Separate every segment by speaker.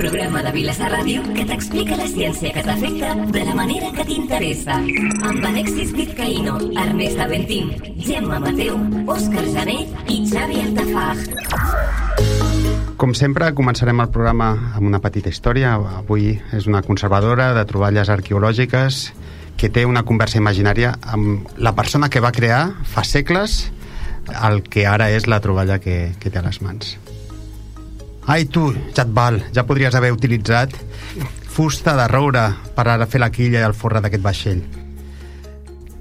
Speaker 1: programa de Vilassar Ràdio que t'explica la ciència que t'afecta de la manera que t'interessa. Amb Alexis Vizcaíno, Ernest Aventín, Gemma Mateu, Òscar Jané i Xavi Altafaj.
Speaker 2: Com sempre, començarem el programa amb una petita història. Avui és una conservadora de troballes arqueològiques que té una conversa imaginària amb la persona que va crear fa segles el que ara és la troballa que té a les mans. Ai, tu, ja et val, ja podries haver utilitzat fusta de roure per ara fer la quilla i el forra d'aquest vaixell.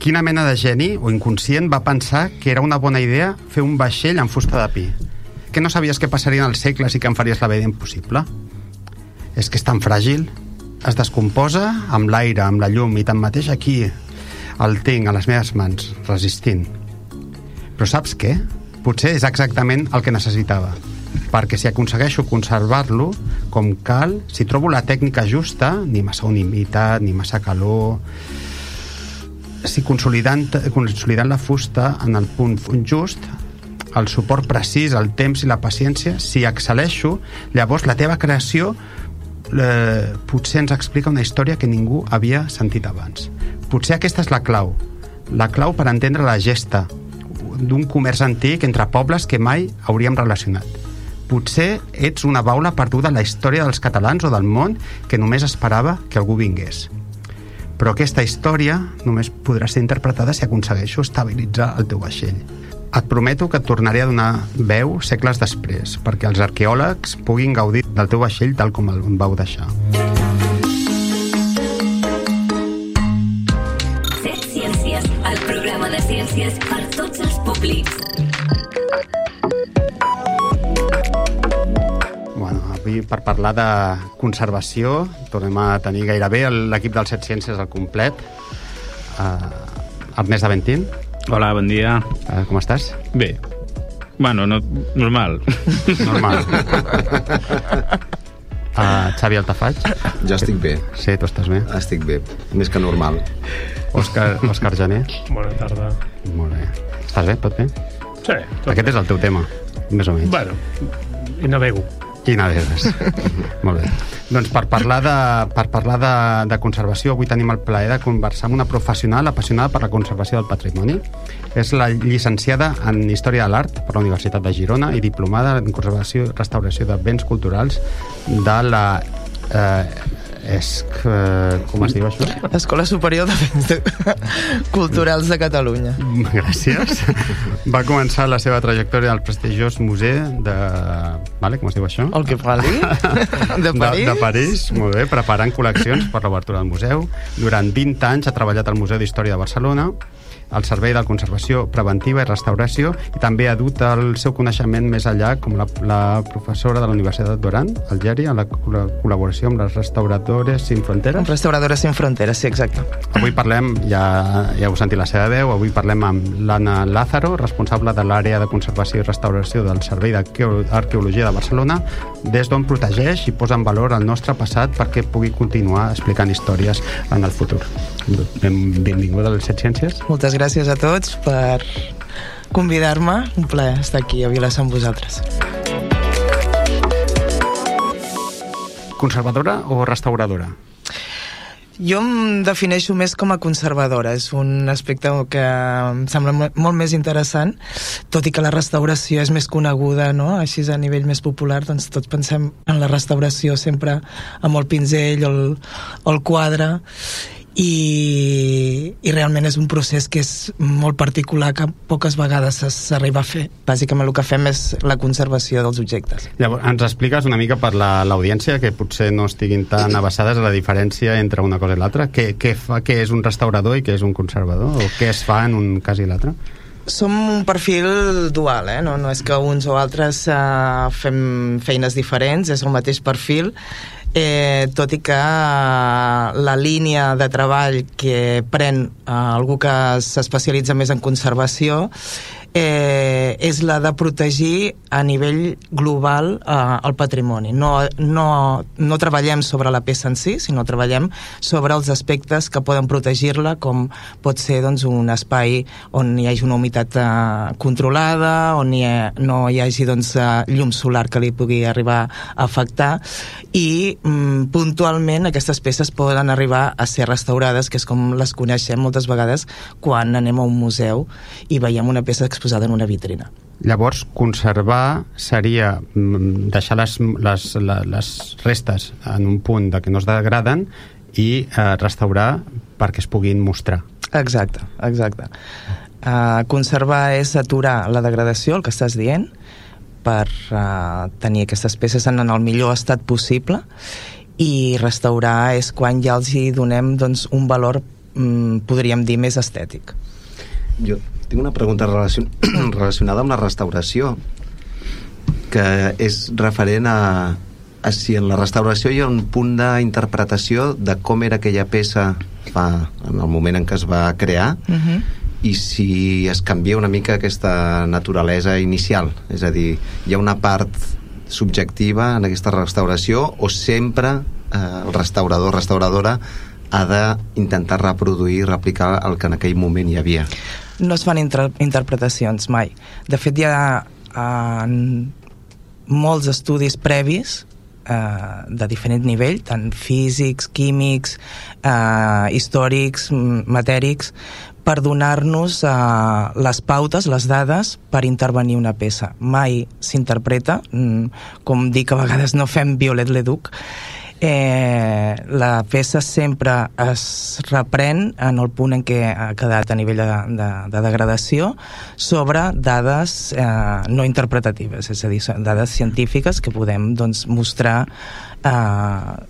Speaker 2: Quina mena de geni o inconscient va pensar que era una bona idea fer un vaixell amb fusta de pi? Que no sabies què passaria en els segles i que em faries la vida impossible? És que és tan fràgil, es descomposa amb l'aire, amb la llum, i tanmateix aquí el tinc a les meves mans, resistint. Però saps què? Potser és exactament el que necessitava, perquè si aconsegueixo conservar-lo com cal, si trobo la tècnica justa, ni massa humitat, ni massa calor, si consolidant la fusta en el punt just, el suport precís, el temps i la paciència, si excel·leixo, llavors la teva creació potser ens explica una història que ningú havia sentit abans. Potser aquesta és la clau per entendre la gesta d'un comerç antic entre pobles que mai hauríem relacionat. Potser ets una baula perduda en la història dels catalans o del món que només esperava que algú vingués. Però aquesta història només podrà ser interpretada si aconsegueixo estabilitzar el teu vaixell. Et prometo que et tornaré a donar veu segles després, perquè els arqueòlegs puguin gaudir del teu vaixell tal com el vau deixar.
Speaker 1: Set Ciències, el programa de ciències per tots els públics.
Speaker 2: Bueno, avui per parlar de conservació tornem a tenir gairebé l'equip del Set Ciències al complet. Ernest Aventín.
Speaker 3: Hola, bon dia.
Speaker 2: Com estàs?
Speaker 3: Bé. Bueno, no, normal.
Speaker 2: Normal. Xavi Altafaj.
Speaker 4: Jo estic bé.
Speaker 2: Sí, tu estàs bé?
Speaker 4: Estic bé, més que normal.
Speaker 2: Òscar Jané.
Speaker 5: Bona tarda.
Speaker 2: Molt bé. Estàs bé? Tot bé?
Speaker 5: Sí.
Speaker 2: Aquest és el teu tema, més o menys.
Speaker 5: Bueno, i navego.
Speaker 2: I navegues. Molt bé. Doncs per parlar de conservació, avui tenim el plaer de conversar amb una professional apassionada per la conservació del patrimoni. És la llicenciada en Història de l'Art per la Universitat de Girona i diplomada en Conservació i Restauració de Béns Culturals de la com es diu això?
Speaker 6: Escola Superior de Béns Culturals de Catalunya.
Speaker 2: Gràcies. Va començar la seva trajectòria al prestigiós museu de... Vale, com es diu això?
Speaker 6: El que parli? De París?
Speaker 2: De París, molt bé, preparant col·leccions per l'obertura del museu. Durant 20 anys ha treballat al Museu d'Història de Barcelona, al Servei de Conservació Preventiva i Restauració, i també ha dut el seu coneixement més enllà com la professora de la Universitat d'Oran, al Geri, en la col·laboració amb les Restauradores Sin Fronteres.
Speaker 6: Restauradores Sin Fronteres, sí, exacte.
Speaker 2: Avui parlem, ja heu sentit la seva veu, avui parlem amb l'Anna Lázaro, responsable de l'àrea de conservació i restauració del Servei d'Arqueologia de Barcelona, des d'on protegeix i posa en valor el nostre passat perquè pugui continuar explicant històries en el futur. Benvinguda a les Set Ciències.
Speaker 6: Moltes gràcies a tots per convidar-me. Un plaer estar aquí a Vilassar amb vosaltres.
Speaker 2: Conservadora o restauradora?
Speaker 6: Jo em defineixo més com a conservadora. És un aspecte que em sembla molt més interessant, tot i que la restauració és més coneguda, no? Així a nivell més popular, doncs tots pensem en la restauració sempre amb el pinzell o el quadre, i realment és un procés que és molt particular, que poques vegades s'arriba a fer. Bàsicament el que fem és la conservació dels objectes.
Speaker 2: Llavors, ens expliques una mica per l'audiència que potser no estiguin tan avasades a la diferència entre una cosa i l'altra? Què és un restaurador i què és un conservador? O què es fa en un cas i l'altre?
Speaker 6: Som un perfil dual, no és que uns o altres fem feines diferents, és el mateix perfil, tot i que la línia de treball que pren algú que s'especialitza més en conservació és la de protegir a nivell global el patrimoni. No treballem sobre la peça en si, sinó treballem sobre els aspectes que poden protegir-la, com pot ser doncs, un espai on hi hagi una humitat controlada, on no hi hagi doncs, llum solar que li pugui arribar a afectar, i puntualment aquestes peces poden arribar a ser restaurades, que és com les coneixem moltes vegades quan anem a un museu i veiem una peça exposada en una vitrina.
Speaker 2: Llavors, conservar seria deixar les restes en un punt de que no es degraden i restaurar perquè es puguin mostrar.
Speaker 6: Exacte. Conservar és aturar la degradació, el que estàs dient, per tenir aquestes peces en el millor estat possible, i restaurar és quan ja els hi donem doncs, un valor, podríem dir, més estètic.
Speaker 4: Jo tinc una pregunta relacionada amb la restauració, que és referent a si en la restauració hi ha un punt d'interpretació de com era aquella peça en el moment en què es va crear, i si es canvia una mica aquesta naturalesa inicial, és a dir, hi ha una part subjectiva en aquesta restauració, o sempre el restaurador o restauradora ha d'intentar reproduir, replicar el que en aquell moment hi havia?
Speaker 6: No es fan interpretacions mai. De fet, hi ha molts estudis previs de diferent nivell, tant físics, químics, històrics, matèrics, per donar-nos les pautes, les dades per intervenir una peça. Mai s'interpreta, com dic, a vegades no fem Viollet-le-Duc. La peça sempre es reprèn en el punt en què ha quedat a nivell de degradació sobre dades no interpretatives, és a dir, dades científiques que podem doncs, mostrar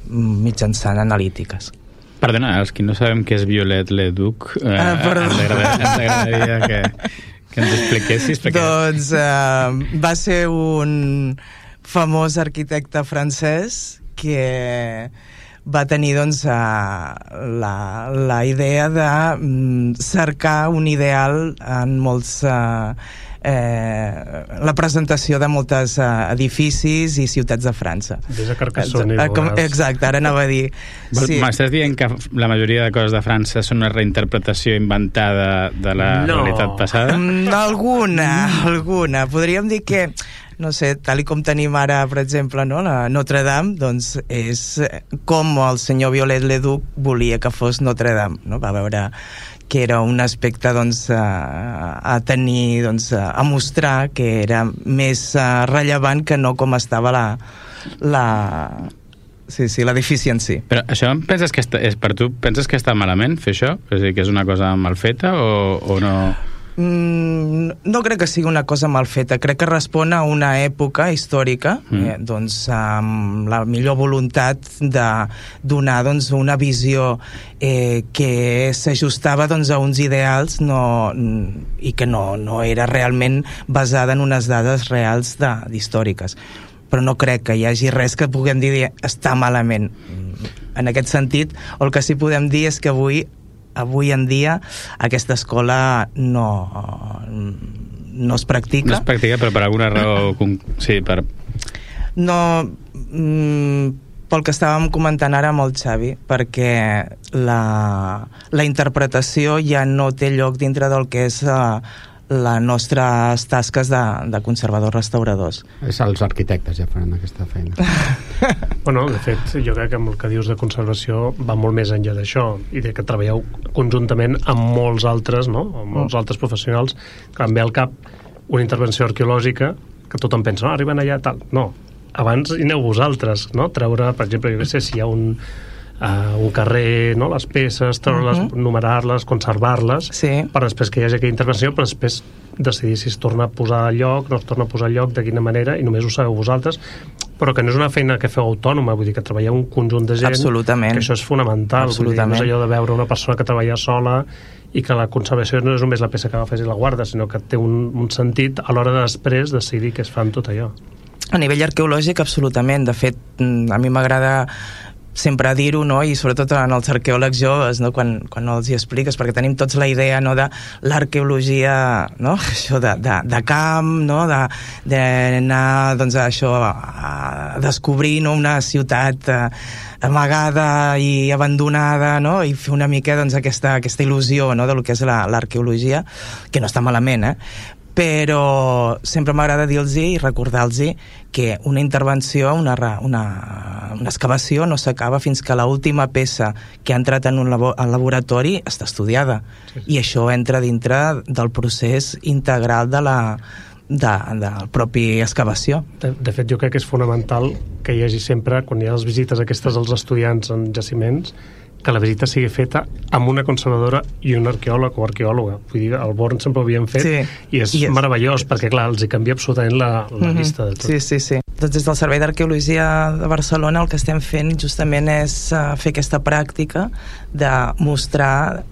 Speaker 6: mitjançant analítiques.
Speaker 3: Perdona, els que no sabem què és Viollet-le-Duc, ens agradaria que ens expliquessis.
Speaker 6: Doncs va ser un famós arquitecte francès que va tenir doncs, la idea de cercar un ideal en molts la presentació de molts edificis i ciutats de França.
Speaker 5: Des de Carcassonne.
Speaker 6: Exacte, ara anava a dir.
Speaker 3: Sí. M'estàs dient que la majoria de coses de França són una reinterpretació inventada de la realitat passada? Alguna.
Speaker 6: Podríem dir que no sé, tal com tenim ara, per exemple, no? La Notre Dame, doncs és com el senyor Viollet-le-Duc volia que fos Notre Dame, no? Va veure que era un aspecte doncs, a tenir, doncs, a mostrar que era més rellevant que no com estava l'edifici en si.
Speaker 3: Però això penses que per tu penses que està malament fer això? És a dir, que és una cosa mal feta o no?
Speaker 6: No crec que sigui una cosa mal feta, crec que respon a una època històrica, doncs amb la millor voluntat de donar doncs, una visió que s'ajustava doncs, a uns ideals i que no era realment basada en unes dades reals històriques. Però no crec que hi hagi res que puguem dir està malament. En aquest sentit, el que sí podem dir és que avui en dia aquesta escola no es practica.
Speaker 3: No es practica, però per alguna raó... Sí, per...
Speaker 6: No... pel que estàvem comentant ara amb el Xavi, perquè la interpretació ja no té lloc dintre del que és les nostres tasques de conservadors-restauradors.
Speaker 2: És els arquitectes ja faran aquesta feina.
Speaker 5: Bueno, de fet, jo crec que amb el que dius de conservació va molt més enllà d'això, i de que treballeu conjuntament amb molts altres, no? Amb molts altres professionals, que em ve al cap una intervenció arqueològica que tothom pensa, no, arriben allà, tal. No, abans hi aneu vosaltres, no? Treure, per exemple, jo què sé, si hi ha un carrer, no? Les peces, treure-les, numerar-les, conservar-les,
Speaker 6: sí,
Speaker 5: per després que hi hagi aquella intervenció, però després decidir si es torna a posar al lloc, no es torna a posar al lloc, de quina manera, i només ho sabeu vosaltres, però que no és una feina que feu autònoma, vull dir que treballeu un conjunt de gent.
Speaker 6: Absolutament.
Speaker 5: Que això és fonamental. Vull dir, no és allò de veure una persona que treballa sola i que la conservació no és només la peça que agafes i la guarda, sinó que té un sentit a l'hora de després decidir què es fa amb tot allò.
Speaker 6: A nivell arqueològic, absolutament. De fet, a mi m'agrada sempre dir-ho, no? I sobretot en els arqueòlegs joves, no? Quan els hi expliques, perquè tenim tots la idea, no? De l'arqueologia, no? Això de camp, no? D'anar, doncs, això, a descobrir, no? Una ciutat amagada i abandonada, no? I fer una mica, doncs, aquesta il·lusió, no? De lo que és l'arqueologia, que no està malament, però sempre m'agrada dir-los i recordar-los que una intervenció, una excavació no s'acaba fins que l'última peça que ha entrat en un laboratori està estudiada. Sí. I això entra dintre del procés integral de la propi excavació.
Speaker 5: De fet, jo crec que és fonamental que hi hagi sempre, quan hi ha les visites aquestes als estudiants en jaciments, que la visita sigui feta amb una conservadora i un arqueòleg o arqueòloga. Vull dir, al Born sempre ho havien fet, i és meravellós, perquè clar, els hi canvia absolutament la vista de tot.
Speaker 6: Sí. Doncs des del Servei d'Arqueologia de Barcelona el que estem fent justament és fer aquesta pràctica de mostrar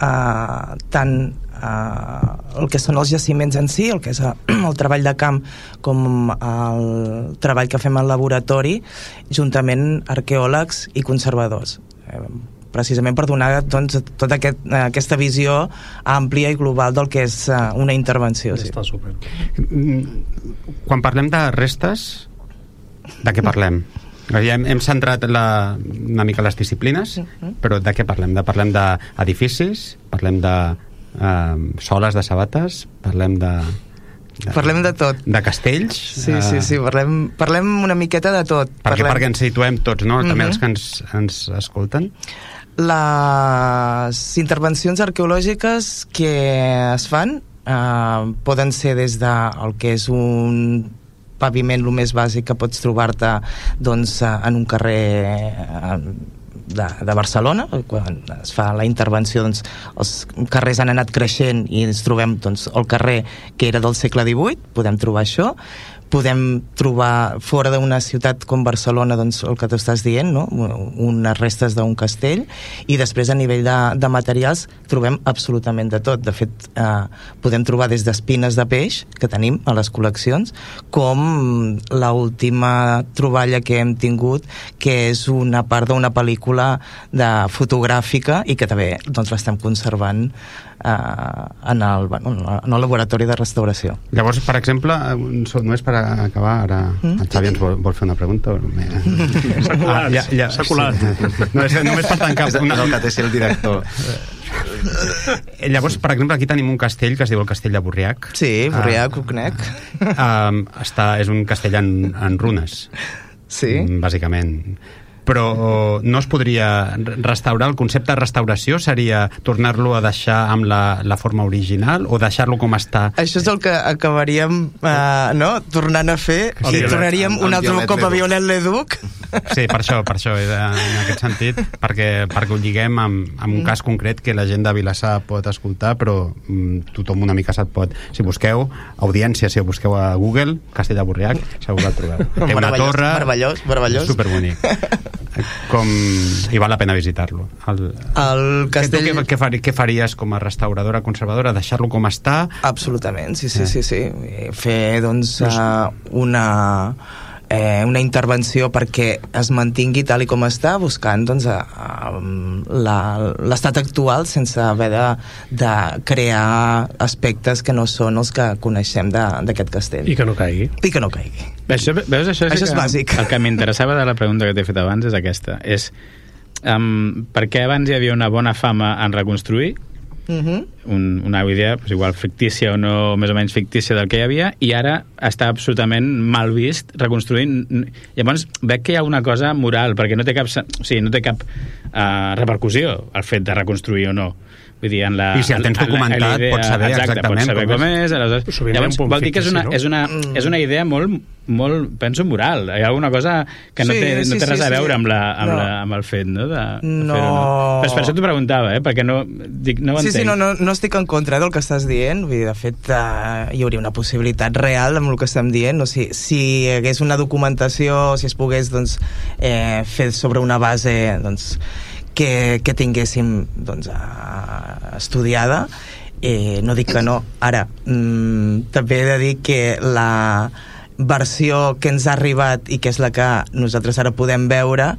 Speaker 6: tant el que són els jaciments en si, el que és el treball de camp, com el treball que fem al laboratori, juntament arqueòlegs i conservadors, precisament per donar, doncs, tota aquesta visió àmplia i global del que és una intervenció.
Speaker 5: Està super.
Speaker 2: Quan parlem de restes, de què parlem? Hem centrat una mica les disciplines, però de què parlem? Parlem d'edificis, parlem de soles de sabates, parlem
Speaker 6: de tot.
Speaker 2: De castells?
Speaker 6: Sí, parlem una miqueta de tot.
Speaker 2: Perquè ens situem tots, no? També els que ens escolten.
Speaker 6: Les intervencions arqueològiques que es fan poden ser des del que és un paviment el més bàsic que pots trobar-te, doncs, en un carrer de Barcelona. Quan es fa la intervenció, doncs, els carrers han anat creixent i ens trobem, doncs, el carrer que era del segle XVIII, podem trobar això. Podem trobar fora d'una ciutat com Barcelona, doncs, el que tu estàs dient, no? Unes restes d'un castell, i després a nivell de materials trobem absolutament de tot. De fet, podem trobar des d'espines de peix que tenim a les col·leccions, com l'última troballa que hem tingut, que és una part d'una pel·lícula fotogràfica i que també, doncs, l'estem conservant en el laboratori de restauració.
Speaker 2: Llavors, per exemple, només per acabar, ara el Xavi ens vol fer una pregunta.
Speaker 5: S'ha colat.
Speaker 2: Només per tancar.
Speaker 4: És el que té ser el director.
Speaker 2: Llavors, per exemple, aquí tenim un castell que es diu el Castell de Borriac.
Speaker 6: Sí, Borriac, ho conec.
Speaker 2: És un castell en runes.
Speaker 6: Sí.
Speaker 2: Bàsicament. Però no es podria restaurar? El concepte de restauració seria tornar-lo a deixar amb la forma original o deixar-lo com està?
Speaker 6: Això és el que acabaríem tornant a fer, i tornaríem un altre cop a Viollet-le-Duc.
Speaker 2: Sí, per això, en aquest sentit, perquè ho lliguem amb un cas concret que la gent de Vilassar pot escoltar, però tothom una mica se't pot. Si busqueu, audiència, si ho busqueu a Google, Castell de Borriac, segur que el trobeu. Té una torre...
Speaker 6: Meravellós.
Speaker 2: Superbonic. I val la pena visitar-lo.
Speaker 6: El castell...
Speaker 2: Què faries com a restauradora, conservadora? Deixar-lo com està?
Speaker 6: Absolutament, sí. Fer, doncs, una intervenció perquè es mantingui tal i com està, buscant, doncs, l'estat actual sense haver de crear aspectes que no són els que coneixem d'aquest castell.
Speaker 5: I que no caigui.
Speaker 3: Això és
Speaker 6: bàsic.
Speaker 3: El que m'interessava de la pregunta que t'he fet abans és aquesta. És per què abans hi havia una bona fama en reconstruir una idea, igual fictícia o no, més o menys fictícia del que hi havia, i ara està absolutament mal vist reconstruint. Llavors veig que hi ha una cosa moral, perquè no té cap repercussió el fet de reconstruir o no. Vull dir,
Speaker 2: i si el tens documentat pots saber exactament
Speaker 3: com és. Llavors vol dir que és una idea molt, penso, moral. Hi ha alguna cosa que no té res a veure amb el fet, no? Però per això t'ho preguntava, perquè no ho entenc.
Speaker 6: No estic en contra del que estàs dient. Vull dir, de fet, hi hauria una possibilitat real amb el que estem dient. Si hi hagués una documentació, si es pogués, doncs, fer sobre una base, doncs, que tinguéssim, doncs, estudiada, no dic que no. Ara, també he de dir que la versió que ens ha arribat i que és la que nosaltres ara podem veure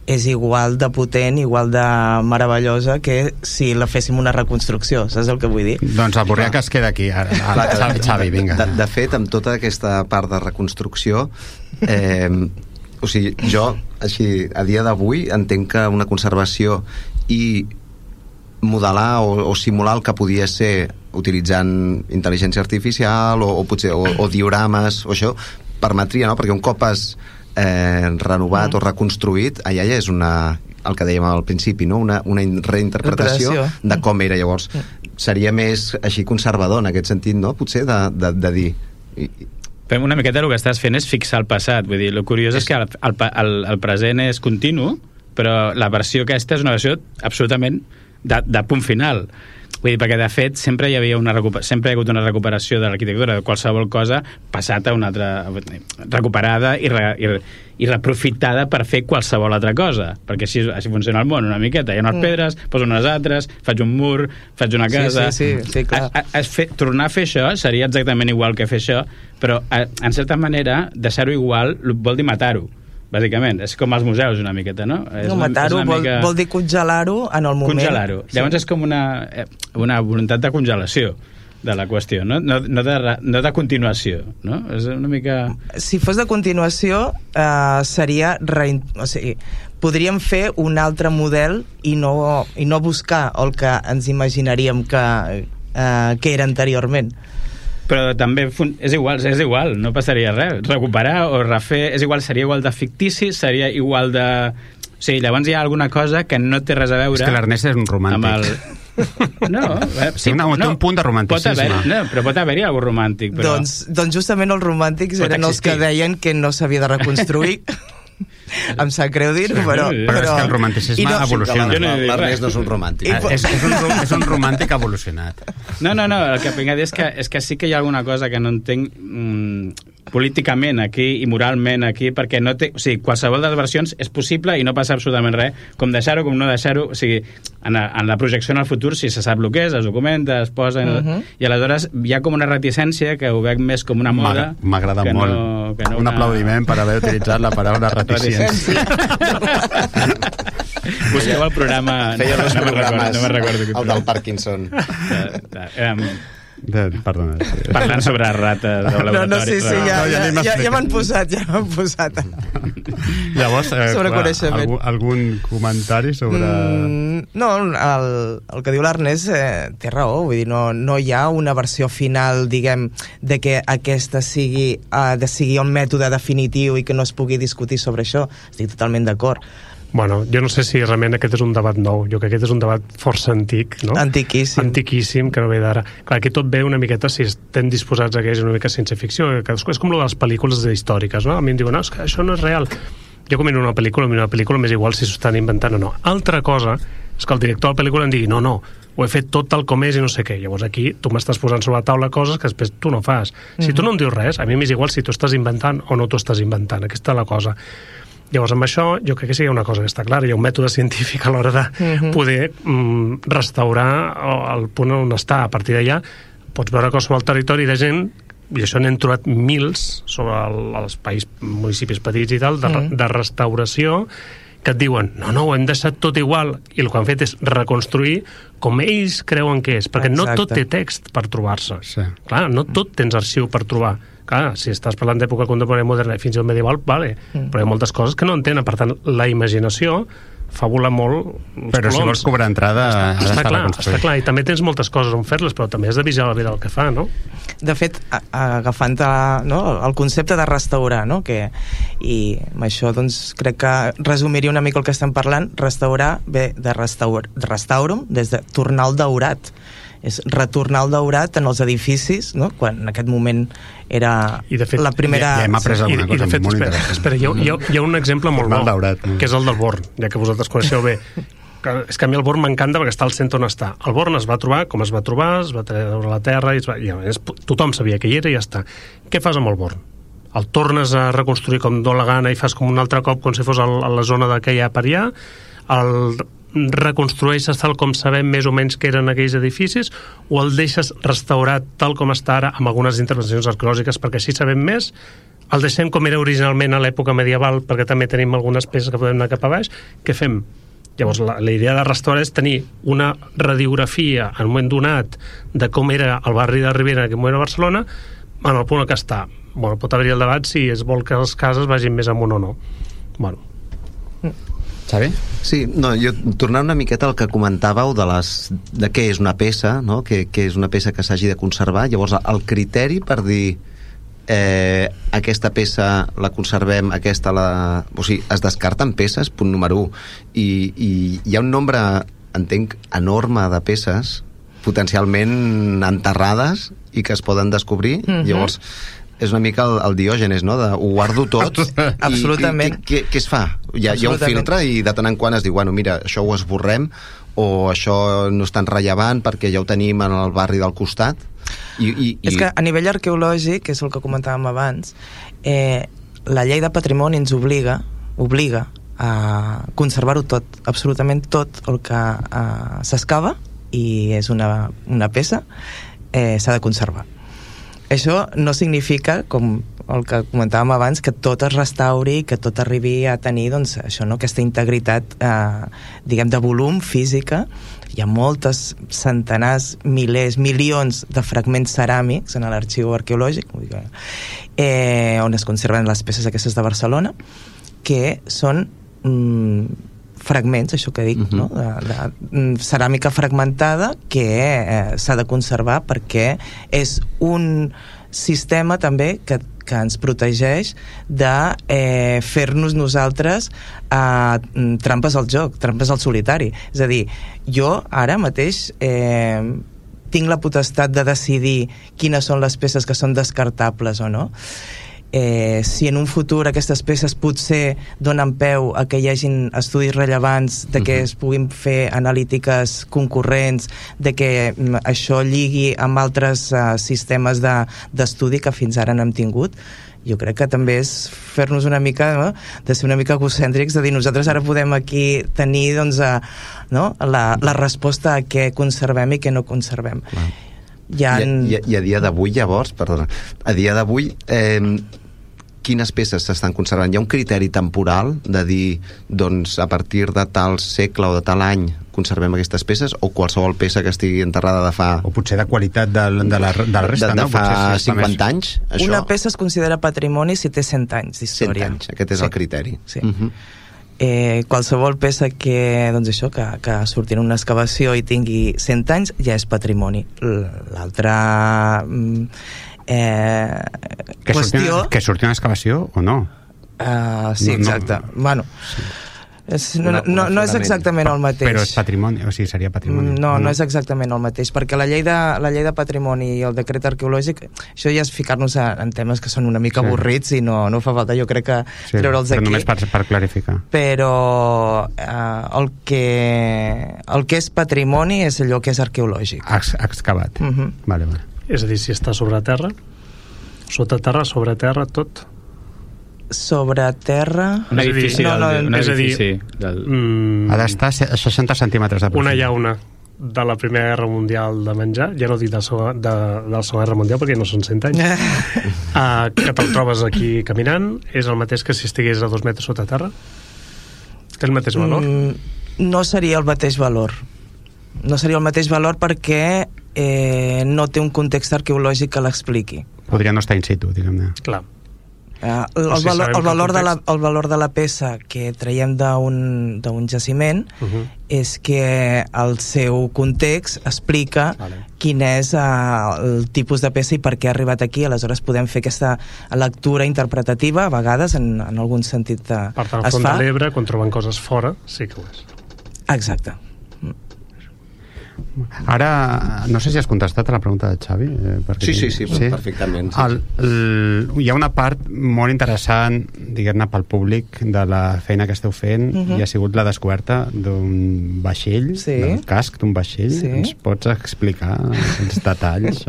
Speaker 6: és igual de potent, igual de meravellosa que si la féssim una reconstrucció, saps el que vull dir?
Speaker 2: Doncs el Borrià que es queda aquí. Xavi, vinga.
Speaker 4: De fet, amb tota aquesta part de reconstrucció, o sigui, jo, així, a dia d'avui, entenc que una conservació i modelar o simular el que podia ser utilitzant intel·ligència artificial o potser o diorames o això, permetria, no? Perquè un cop has renovat o reconstruït, allà ja és el que dèiem al principi, no? una reinterpretació de com era. Llavors seria més així conservador en aquest sentit, no? Potser de dir
Speaker 3: Fem una miqueta el que estàs fent és fixar el passat, vull dir, el curiós és que el present és continu, però la versió aquesta és una versió absolutament de punt final. Vull dir, perquè de fet sempre hi ha hagut una recuperació de l'arquitectura, de qualsevol cosa passat a una altra, recuperada i reprofitada per fer qualsevol altra cosa, perquè així funciona el món una miqueta. Hi ha unes pedres, poso unes altres, faig un mur, faig una casa.
Speaker 6: Sí, clar.
Speaker 3: Tornar a fer això seria exactament igual que fer això, però en certa manera deixar-ho igual vol dir matar-ho, bàsicament. És com els museus una miqueta, no?
Speaker 6: Matar-ho vol dir congelar-ho en el moment.
Speaker 3: Congelar-ho. Llavors és com una voluntat de congelació de la qüestió, no de continuació, no? És una mica...
Speaker 6: Si fos de continuació, seria... O sigui, podríem fer un altre model i no buscar el que ens imaginaríem que era anteriorment.
Speaker 3: Però també és igual, no passaria res. Recuperar o refer, seria igual de fictici, seria igual de... O sigui, llavors hi ha alguna cosa que no té res a veure...
Speaker 2: És que l'Ernest és un romàntic.
Speaker 3: No,
Speaker 2: sí, té un punt de romanticisme.
Speaker 3: Però pot haver-hi algú romàntic. Però...
Speaker 6: Doncs justament els romàntics eren els que deien que no s'havia de reconstruir. Em sap greu dir-ho, però
Speaker 2: és que el romanticisme evoluciona.
Speaker 4: L'Ernest no és un romàntic.
Speaker 2: És un romàntic evolucionat.
Speaker 3: No, el que vinc a dir és que sí que hi ha alguna cosa que no entenc políticament aquí i moralment aquí, perquè no té... O sigui, qualsevol de les versions és possible i no passa absolutament res, com deixar-ho, com no deixar-ho. O sigui, en la projecció en el futur, si se sap el que és, es documenta, es posa... I aleshores hi ha com una reticència que ho veig més com una moda...
Speaker 2: M'agrada molt. Un aplaudiment per haver utilitzat la paraula reticència.
Speaker 3: Busqueu el programa...
Speaker 4: Feia dos programes,
Speaker 3: no me'n recordo.
Speaker 4: El del Parkinson.
Speaker 2: Perdona.
Speaker 3: Parlant sobre rates de laboratori.
Speaker 6: Ja m'han posat.
Speaker 2: Llavors,
Speaker 6: sobre coneixement.
Speaker 2: Algun comentari sobre...
Speaker 6: No, el que diu l'Ernest té raó, vull dir, no hi ha una versió final, diguem, de que aquesta sigui un mètode definitiu i que no es pugui discutir sobre això. Estic totalment d'acord.
Speaker 5: Bueno, jo no sé si realment aquest és un debat nou. Jo crec que aquest és un debat força antic, no? Antiquíssim, que no ve d'ara. Clar, aquí tot ve una miqueta, si estem disposats a que és una mica ciència ficció, que és com de les pel·lícules històriques, no? A mi em diuen, no, és que això no és real. Jo com miro una pel·lícula m'és igual si s'ho estan inventant o no. Altra cosa és que el director de la pel·lícula em digui, no, ho he fet tot tal com és i no sé què. Llavors aquí tu m'estàs posant sobre la taula coses que després tu no fas. Si tu no em dius res, a mi m'és igual si tu estàs inventant o no t'ho estàs inventant. Aquesta és la cosa. Llavors, amb això, jo crec que sí que hi ha una cosa que està clara. Hi ha un mètode científic a l'hora de poder restaurar el punt on està. A partir d'allà, pots veure qualsevol territori de gent, i això n'hem trobat mils sobre els municipis petits i tal, de restauració, que et diuen, no, ho hem deixat tot igual, i el que han fet és reconstruir com ells creuen que és, perquè no tot té text per trobar-se. Sí. Clar, no tot tens arxiu per trobar. Clar, si estàs parlant d'època contemporània moderna i fins i tot medieval, vale, però hi ha moltes coses que no entenen. Per tant, la imaginació fa volar molt els
Speaker 2: però
Speaker 5: coloms.
Speaker 2: Si vols cobrar entrada
Speaker 5: està clar, i també tens moltes coses on fer-les, però també has de vigilar la vida del que fa, no?
Speaker 6: De fet, agafant el concepte de restaurar, no? I amb això doncs crec que resumiria una mica el que estem parlant. Restaurar ve de restaurum, des de tornar al daurat. És retornar al daurat en els edificis, no? Quan en aquest moment era la primera...
Speaker 2: Ja hem après alguna cosa molt interessant.
Speaker 5: Espera, hi ha un exemple molt bo, que és el del Born, ja que vosaltres coneixeu bé. És que a mi el Born m'encanta perquè està al centre on està. El Born es va trobar com es va trobar, es va treure a la terra, tothom sabia que hi era i ja està. Què fas amb el Born? El tornes a reconstruir com dóna la gana i fas com un altre cop com si fos a la zona d'aquella per allà, el reconstrueixes tal com sabem més o menys que eren aquells edificis, o el deixes restaurat tal com està ara amb algunes intervencions arqueològiques perquè així sabem més, el deixem com era originalment a l'època medieval, perquè també tenim algunes peces que podem anar cap a baix, què fem? Llavors, la idea de restaurar és tenir una radiografia en un moment donat de com era el barri de Ribera, en aquell moment a Barcelona, en el punt que està. Bueno, pot haver-hi el debat si es vol que les cases vagin més amunt o no. Bueno.
Speaker 2: Xavi?
Speaker 4: Sí, no, jo tornant una miqueta al que comentàveu de què és una peça, no? Que és una peça que s'hagi de conservar. Llavors, el criteri per dir aquesta peça la conservem, aquesta o sigui, es descarten peces, punt número 1, i hi ha un nombre, entenc, enorme de peces potencialment enterrades i que es poden descobrir. Llavors és una mica el Diògenes, no? Ho guardo tot.
Speaker 6: Absolutament.
Speaker 4: Què es fa? Hi ha un filtre i de tant en quant es diu, bueno, mira, això ho esborrem, o això no és tan rellevant perquè ja ho tenim en el barri del costat.
Speaker 6: És que a nivell arqueològic, que és el que comentàvem abans, la llei de patrimoni ens obliga a conservar-ho tot, absolutament tot el que s'excava i és una peça, s'ha de conservar. Això no significa, com el que comentàvem abans, que tot es restauri, que tot arribi a tenir, doncs, això, no? Aquesta integritat, diguem, de volum física. Hi ha moltes, centenars, milers, milions de fragments ceràmics en l'arxiu arqueològic, on es conserven les peces aquestes de Barcelona, que són fragments, això que dic, no? De ceràmica fragmentada que s'ha de conservar perquè és un sistema també que ens protegeix de fer-nos nosaltres trampes al joc, trampes al solitari. És a dir, jo ara mateix tinc la potestat de decidir quines són les peces que són descartables o no. Si en un futur aquestes peces potser donen peu a que hi hagin estudis rellevants, de que es puguin fer analítiques concurrents, de que això lligui amb altres sistemes d'estudi que fins ara no hem tingut, jo crec que també és fer-nos una mica, no? De ser una mica egocèntrics, de dir nosaltres ara podem aquí tenir, doncs, la resposta a què conservem i què no conservem.
Speaker 4: I a dia d'avui, llavors, a dia d'avui quines peces s'estan conservant? Hi ha un criteri temporal de dir, doncs, a partir de tal segle o de tal any conservem aquestes peces, o qualsevol peça que estigui enterrada de fa...
Speaker 2: O potser de qualitat de la resta,
Speaker 4: no? De fa 50 anys? Això...
Speaker 6: Una peça es considera patrimoni si té 100 anys d'història.
Speaker 4: 100 anys, aquest és el criteri.
Speaker 6: Sí. Qualsevol peça que, doncs això, que surti en una excavació i tingui 100 anys ja és patrimoni. L'altra qüestió...
Speaker 2: Que surti una excavació o no?
Speaker 6: Sí, exacte. Bueno... No és exactament el mateix.
Speaker 2: Però és patrimoni, o sigui, seria patrimoni.
Speaker 6: No és exactament el mateix, perquè la llei de patrimoni i el decret arqueològic, això ja és ficar-nos en temes que són una mica avorrits i no fa falta, jo crec que treure'ls aquí.
Speaker 2: Però només per clarificar.
Speaker 6: Però el que és patrimoni és allò que és arqueològic.
Speaker 2: Excavat. Vale.
Speaker 5: És a dir, si està sobre terra, sota terra, sobre terra, tot...
Speaker 6: Sobre terra...
Speaker 3: Un edifici,
Speaker 2: ha d'estar a 60 centímetres de profunditat.
Speaker 5: Una llauna de la Primera Guerra Mundial de menjar, ja no dic de la Segona Guerra Mundial perquè no són 100 anys, que te'l trobes aquí caminant, és el mateix que si estigués a 2 metres sota terra? Té el mateix valor?
Speaker 6: No seria el mateix valor. No seria el mateix valor perquè no té un context arqueològic que l'expliqui.
Speaker 2: Podria no estar in situ, diguem-ne.
Speaker 5: Clar.
Speaker 6: El valor de la peça que traiem d'un jaciment és que el seu context explica quin és el tipus de peça i per què ha arribat aquí. Aleshores podem fer aquesta lectura interpretativa, a vegades en algun sentit
Speaker 5: per tant, al fons de l'Ebre, quan troben coses fora, sí que ho és.
Speaker 6: Exacte.
Speaker 2: Ara, no sé si has contestat a la pregunta de Xavi.
Speaker 4: Sí, perfectament.
Speaker 2: Hi ha una part molt interessant, diguem-ne, pel públic de la feina que esteu fent, i ha sigut la descoberta d'un vaixell, del casc d'un vaixell. Ens pots explicar els detalls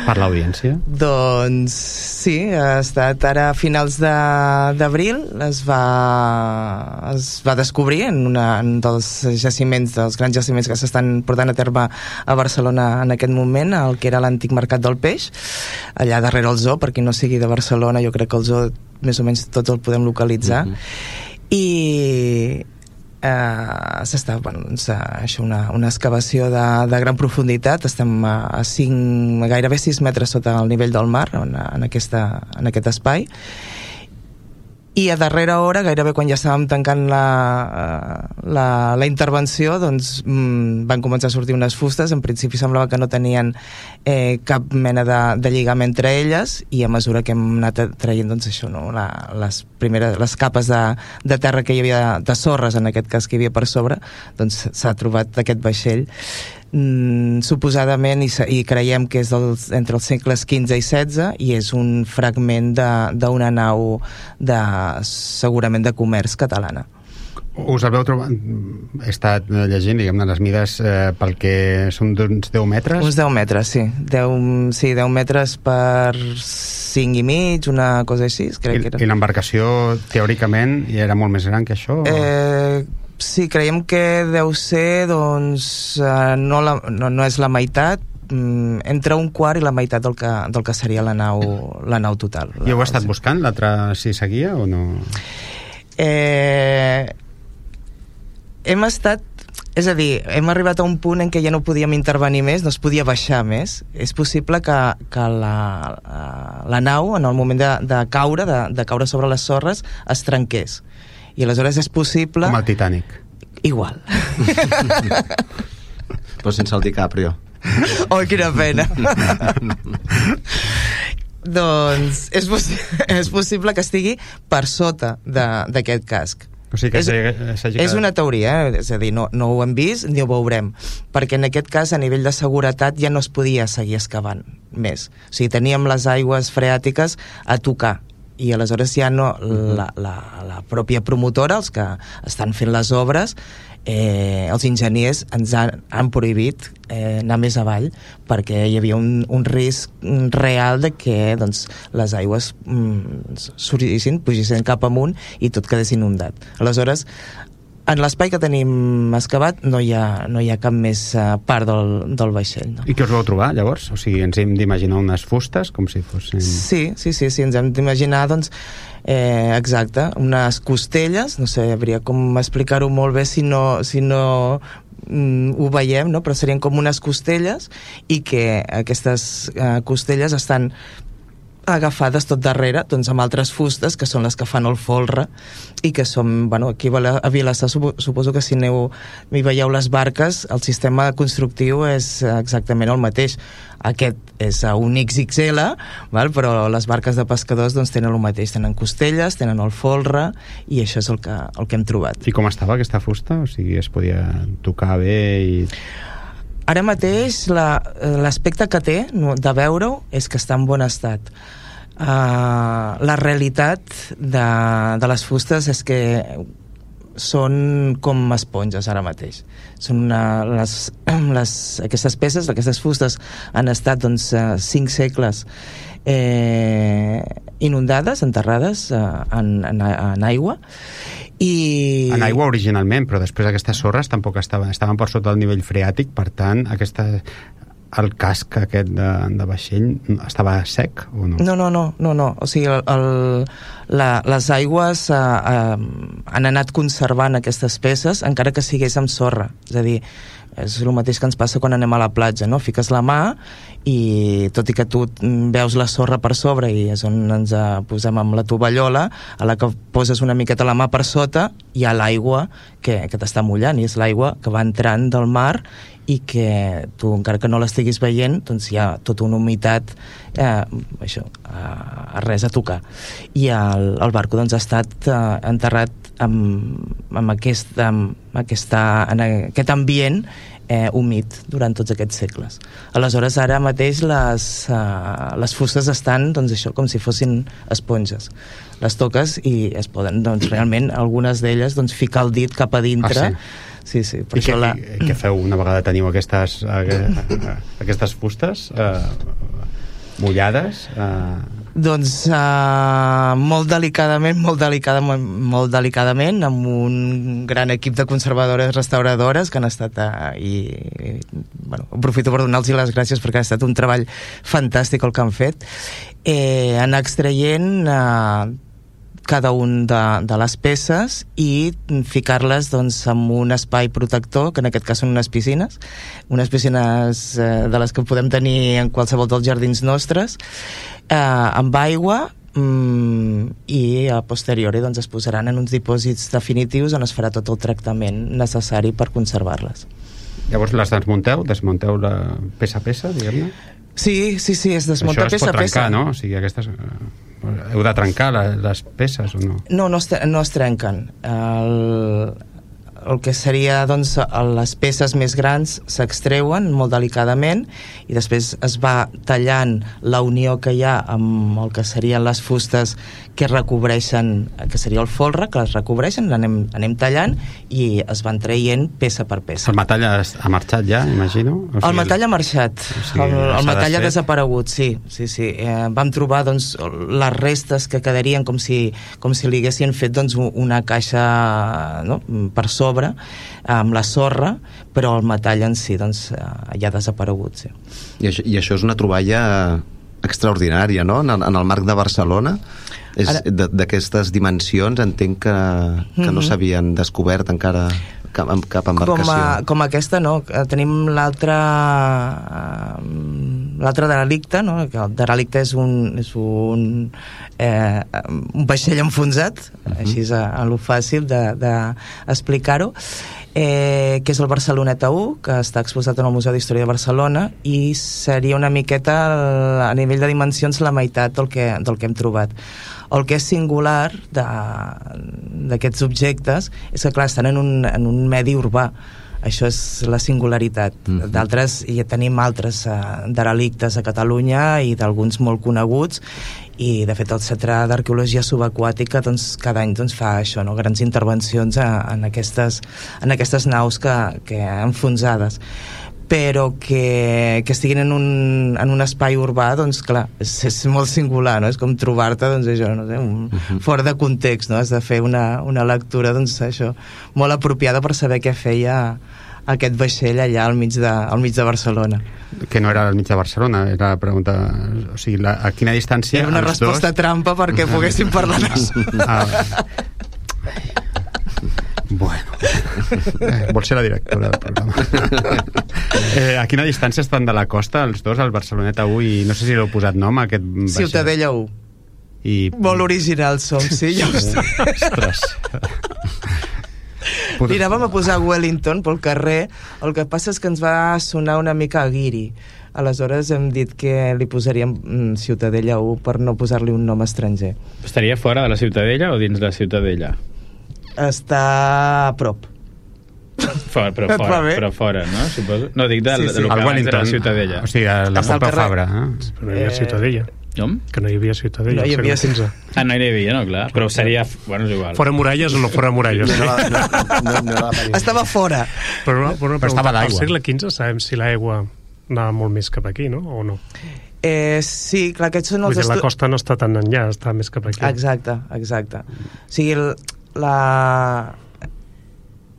Speaker 2: per l'audiència?
Speaker 6: Doncs sí, ha estat ara a finals d'abril, es va descobrir en un dels jaciments, dels grans jaciments que s'estan estan portant a terme a Barcelona en aquest moment, el que era l'antic Mercat del Peix, allà darrere el zoo. Per qui no sigui de Barcelona, jo crec que el zoo més o menys tots el podem localitzar. I s'està, això, una excavació de gran profunditat. Estem a gairebé 6 metres sota el nivell del mar en aquest espai, i a darrera hora, gairebé quan ja estàvem tancant la intervenció, doncs van començar a sortir unes fustes. En principi semblava que no tenien cap mena de lligam entre elles, i a mesura que hem anat traient, doncs això, no? les capes de terra que hi havia, de sorres en aquest cas, que hi havia per sobre, doncs s'ha trobat aquest vaixell. Suposadament, i creiem que és entre els segles XV i XVI, i és un fragment d'una nau segurament de comerç catalana.
Speaker 2: Us el veu trobar... He estat llegint, diguem-ne, les mides pel que són d'uns 10 metres?
Speaker 6: Uns 10 metres, sí. 10 metres per 5 i mig, una cosa així, crec que era. I
Speaker 2: l'embarcació, teòricament, era molt més gran que això?
Speaker 6: Sí, creiem que deu ser, doncs, no és la meitat, entre un quart i la meitat del que seria la nau total.
Speaker 2: I heu estat buscant l'altre, si seguia o no?
Speaker 6: Hem estat... És a dir, hem arribat a un punt en què ja no podíem intervenir més, no es podia baixar més. És possible que la nau, en el moment de caure sobre les sorres, es trenqués. I aleshores és possible...
Speaker 2: Com el Titanic.
Speaker 6: Igual.
Speaker 4: Però sense el DiCaprio.
Speaker 6: Oh, quina pena. Doncs és possible que estigui per sota d'aquest casc.
Speaker 2: O sigui que
Speaker 6: és una teoria, és a dir, no ho hem vist ni ho veurem, perquè en aquest cas a nivell de seguretat ja no es podia seguir excavant més. O sigui, teníem les aigües freàtiques a tocar, i aleshores ja no la pròpia promotora, els que estan fent les obres, els enginyers ens han prohibit anar més avall, perquè hi havia un risc real de que doncs, les aigües pugessin cap amunt i tot quedés inundat. Aleshores, en l'espai que tenim excavat no hi ha cap més part del vaixell. No?
Speaker 2: I què us vau trobar, llavors? O sigui, ens hem d'imaginar unes fustes com si fossin...
Speaker 6: Sí, ens hem d'imaginar, doncs, exacte, unes costelles, no sé, hauria com explicar-ho molt bé si no ho veiem, no? Però serien com unes costelles, i que aquestes costelles estan agafades tot darrere, doncs, amb altres fustes que són les que fan el folre, i que són, aquí a Vilassar suposo que si hi veieu les barques, el sistema constructiu és exactament el mateix. Aquest és a un XXL, però les barques de pescadors doncs, tenen el mateix, tenen costelles, tenen el folre, i això és el que hem trobat.
Speaker 2: I com estava aquesta fusta? O sigui, es podia tocar bé i...
Speaker 6: Ara mateix l'aspecte que té de veure-ho és que està en bon estat. La realitat de les fustes és que són com esponges ara mateix. Són aquestes peces, aquestes fustes han estat 5 segles inundades, enterrades en aigua, i...
Speaker 2: En aigua originalment, però després aquestes sorres tampoc estaven per sota del nivell freàtic, per tant el casc aquest de vaixell estava sec o no?
Speaker 6: No. O sigui, les aigües han anat conservant aquestes peces encara que sigués amb sorra. És a dir, és el mateix que ens passa quan anem a la platja, no? Fiques la mà i tot i que tu veus la sorra per sobre, i és on ens posem amb la tovallola, a la que poses una miqueta la mà per sota hi ha l'aigua que t'està mullant, i és l'aigua que va entrant del mar, i que tu, encara que no l'estiguis veient, doncs hi ha tota una humitat a res a tocar. I el barco doncs, ha estat enterrat en aquest ambient humit durant tots aquests segles. Aleshores, ara mateix les fustes estan, doncs això, com si fossin esponges. Les toques i es poden, doncs, realment, algunes d'elles, doncs, ficar el dit cap a dintre. Sí, per
Speaker 2: I què feu una vegada teniu aquestes fustes mullades?
Speaker 6: Doncs molt delicadament, amb un gran equip de conservadores restauradores que han estat aprofito per donar-los les gràcies perquè ha estat un treball fantàstic el que han fet, anar extraient cada un de les peces i ficar-les doncs, en un espai protector, que en aquest cas són unes piscines de les que podem tenir en qualsevol dels jardins nostres, amb aigua, i a posteriori doncs, es posaran en uns dipòsits definitius on es farà tot el tractament necessari per conservar-les.
Speaker 2: Llavors les desmunteu la peça a peça, diguem-ne?
Speaker 6: Sí, es desmunta peça a peça. Això es pot trencar,
Speaker 2: no? O sigui, aquestes... Heu de trencar les peces o no?
Speaker 6: No es trenquen. El que seria, doncs, les peces més grans s'extreuen molt delicadament i després es va tallant la unió que hi ha amb el que serien les fustes que recobreixen, que seria el folre, que les recobreixen, l'anem tallant i es van traient peça per peça.
Speaker 2: El metall ha marxat ja, imagino?
Speaker 6: O sigui, el metall ha marxat, el metall ha desaparegut, sí. Vam trobar doncs, les restes que quedarien com si li haguessin fet doncs, una caixa, no?, per sobre, amb la sorra, però el metall en si doncs, ja ha desaparegut, sí.
Speaker 4: I això és una troballa extraordinària, no?, en el marc de Barcelona. D'aquestes dimensions entenc que no s'havien descobert encara cap embarcació.
Speaker 6: Com aquesta no, tenim l'altre derelicte, no? El derelicte és un vaixell enfonsat, així és a lo fàcil d'explicar-ho, que és el Barceloneta 1, que està exposat en el Museu d'Història de Barcelona, i seria una miqueta a nivell de dimensions la meitat del que hem trobat. El que és singular d'aquests objectes és que, clar, estan en un medi urbà. Això és la singularitat. D'altres, ja tenim altres derelictes a Catalunya i d'alguns molt coneguts, i de fet el Centre d'Arqueologia Subaquàtica doncs, cada any doncs, fa això, no? Grans intervencions en aquestes naus que enfonsades, però que estiguin en un espai urbà, doncs clar, és molt singular, no? És com trobar-te, doncs això, no sé, fora de context, no? Has de fer una lectura, doncs això, molt apropiada per saber què feia aquest vaixell allà al mig de Barcelona.
Speaker 2: Que no era al mig de Barcelona, era la pregunta, o sigui, a quina distància...
Speaker 6: Era una resposta trampa perquè poguéssim parlar
Speaker 2: Bueno, vol ser la directora del programa. A quina distància estan de la costa els dos, el Barceloneta 1 i no sé si l'heu posat nom a aquest vaixell?
Speaker 6: Ciutadella 1. Molt original som, sí, ja ho sé.
Speaker 2: Ostres.
Speaker 6: Miràvem a posar Wellington pel carrer, el que passa és que ens va sonar una mica a guiri. Aleshores hem dit que li posaríem Ciutadella 1 per no posar-li un nom estranger.
Speaker 3: Estaria fora de la Ciutadella o dins la Ciutadella?
Speaker 6: Està a prop.
Speaker 3: Però fora, no? Suposo. No, dic del local de la Ciutadella.
Speaker 2: O sigui, la Pompeu Fabra.
Speaker 5: Però no hi havia Ciutadella.
Speaker 3: Com?
Speaker 5: Que no hi havia Ciutadella.
Speaker 6: No hi havia
Speaker 5: XV.
Speaker 3: No hi havia, no, clar. Però seria... Bueno, és igual.
Speaker 5: Fora muralles o no fora muralles?
Speaker 6: Estava fora.
Speaker 5: Però
Speaker 2: estava a l'aigua.
Speaker 5: Al segle XV sabem si l'aigua anava molt més cap aquí, no? O no?
Speaker 6: Sí, clar, aquests són els...
Speaker 5: La costa no està tan enllà, està més cap aquí.
Speaker 6: Exacte. O sigui,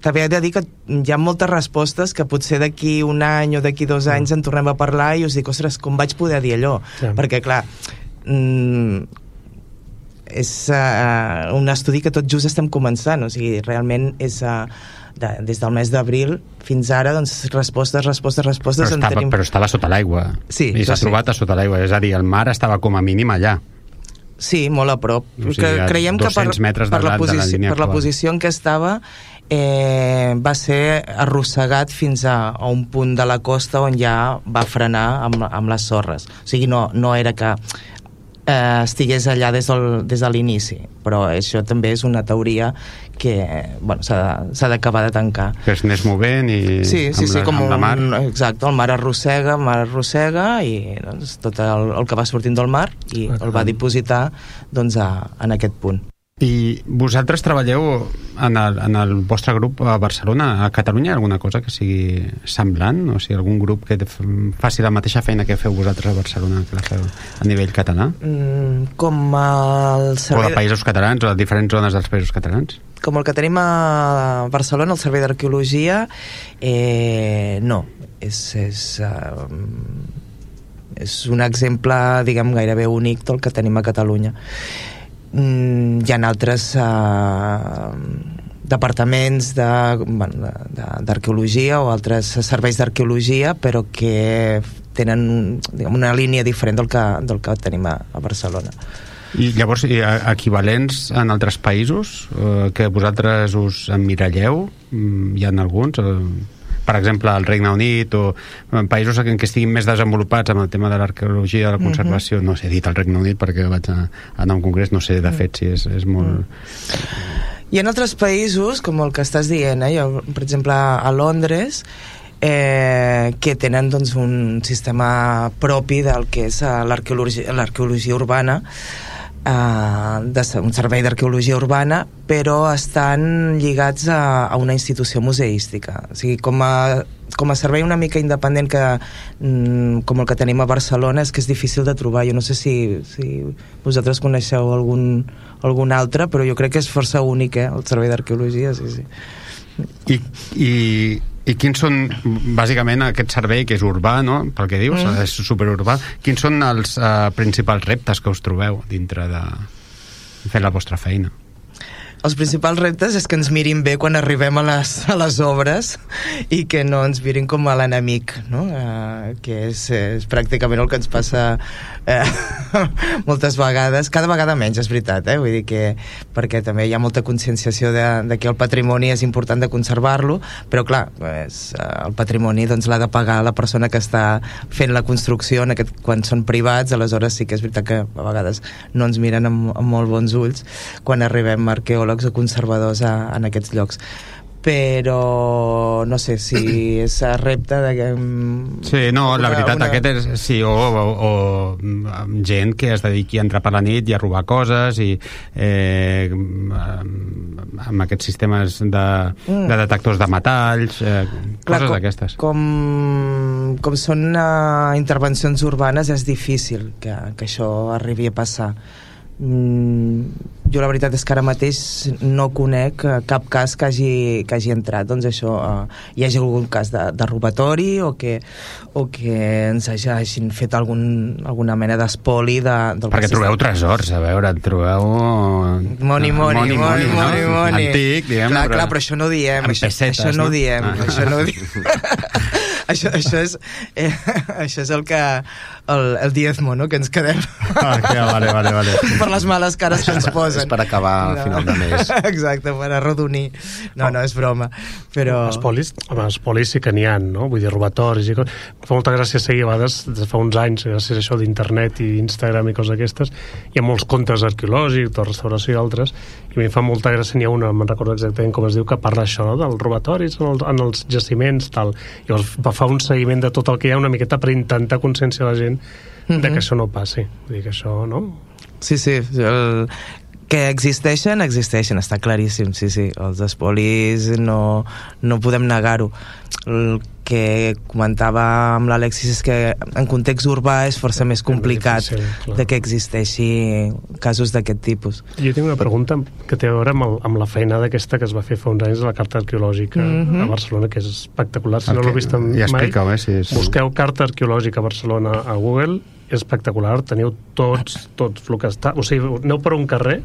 Speaker 6: també he de dir que hi ha moltes respostes que potser d'aquí un any o d'aquí 2 anys en tornem a parlar i us dic, ostres, com vaig poder dir allò? Perquè, clar, és un estudi que tot just estem començant, o sigui, realment és des del mes d'abril fins ara, doncs, respostes
Speaker 2: però estava sota l'aigua.
Speaker 6: Sí,
Speaker 2: i s'ha trobat a sota l'aigua, és a dir, el mar estava com a mínim allà.
Speaker 6: Sí, molt a prop.
Speaker 2: O sigui,
Speaker 6: creiem que per la posició en què estava va ser arrossegat fins a un punt de la costa on ja va frenar amb les sorres. O sigui, no era que estigués allà des de l'inici, però això també és una teoria que s'ha d'acabar de tancar.
Speaker 2: Que es anés movent i
Speaker 6: com
Speaker 2: la mar.
Speaker 6: Exacte, el mar arrossega i doncs, tot el que va sortint del mar i el va dipositar doncs, en aquest punt.
Speaker 2: I vosaltres treballeu en el vostre grup a Barcelona, a Catalunya, alguna cosa que sigui semblant? O sigui, algun grup que faci la mateixa feina que feu vosaltres a Barcelona, que la feu a nivell català?
Speaker 6: Com el servei...
Speaker 2: O de països catalans, o de diferents zones dels països catalans?
Speaker 6: Com el que tenim a Barcelona, el Servei d'Arqueologia, no. És un exemple, diguem, gairebé únic del que tenim a Catalunya. Hi ha altres departaments d'arqueologia o altres serveis d'arqueologia, però que tenen una línia diferent del que tenim a Barcelona.
Speaker 2: I llavors, equivalents en altres països que vosaltres us emmiralleu? Hi ha alguns? Per exemple, al Regne Unit, o en països en què estiguin més desenvolupats amb el tema de l'arqueologia, de la conservació. No sé, he dit al Regne Unit perquè vaig anar a un congrés, no sé de fet si és molt...
Speaker 6: Hi ha altres països, com el que estàs dient, jo, per exemple, a Londres, que tenen doncs, un sistema propi del que és l'arqueologia urbana, un servei d'arqueologia urbana, però estan lligats a una institució museística. O sigui, com a servei una mica independent com el que tenim a Barcelona, és que és difícil de trobar. Jo no sé si vosaltres coneixeu algun altre, però jo crec que és força únic, el servei d'arqueologia, sí.
Speaker 2: I quins són, bàsicament, aquest servei que és urbà, no? Pel que dius, és superurbà. Quins són els principals reptes que us trobeu dintre de fer la vostra feina?
Speaker 6: Els principals reptes és que ens mirin bé quan arribem a les obres i que no ens mirin com a l'enemic, no? Que és pràcticament el que ens passa moltes vegades, cada vegada menys, és veritat, vull dir que perquè també hi ha molta conscienciació de que el patrimoni és important de conservar-lo, però clar, el patrimoni doncs l'ha de pagar la persona que està fent la construcció, quan són privats, aleshores sí que és veritat que a vegades no ens miren amb molt bons ulls quan arribem arqueòlegs o conservadors en aquests llocs, però no sé si és repte de que...
Speaker 2: Sí, no, la veritat aquest és, sí, o gent que es dediqui a entrar per la nit i a robar coses i amb aquests sistemes de detectors de metalls, coses d'aquestes. Com
Speaker 6: són intervencions urbanes, és difícil que això arribi a passar. Jo la veritat és que ara mateix no conec cap cas que hagi entrat, doncs això, hi hagi algun cas de robatori o que ens hagin fet alguna mena d'espoli
Speaker 2: perquè trobeu tresors, a veure, trobeu
Speaker 6: money
Speaker 2: antic, diguem,
Speaker 6: clar, però això no ho diem, això no ho diem. Això és el diezmo, no?, que ens quedem.
Speaker 2: Vale.
Speaker 6: Per les males cares que ens posen.
Speaker 4: És per acabar a final de mes.
Speaker 6: Exacte, per arrodonir. No, és broma. Però...
Speaker 5: Espolis sí que n'hi ha, no? Vull dir, robatoris i coses. Fa molta gràcia seguir, a vegades, des de fa uns anys, gràcies a això d'internet i Instagram i coses aquestes, hi ha molts contes arqueològics, de restauració i altres, i a mi fa molta gràcia, n'hi ha una, me'n recordo exactament com es diu, que parla això, no?, dels robatoris en els jaciments, tal. Llavors fa un seguiment de tot el que hi ha, una miqueta per intentar conscienciar la gent de que això no passi. Vull dir que això, no?
Speaker 6: Sí, que existeixen, està claríssim, sí. Els espolis no podem negar-ho. El que comentava amb l'Alexis és que en context urbà és força més complicat de que existeixi casos d'aquest tipus.
Speaker 5: Jo tinc una pregunta que té a veure amb la feinada aquesta que es va fer fa uns anys de la carta arqueològica a Barcelona, que és espectacular. Si no l'heu vist mai, busqueu carta arqueològica a Barcelona a Google, és espectacular, teniu tots el que està... O sigui, aneu per un carrer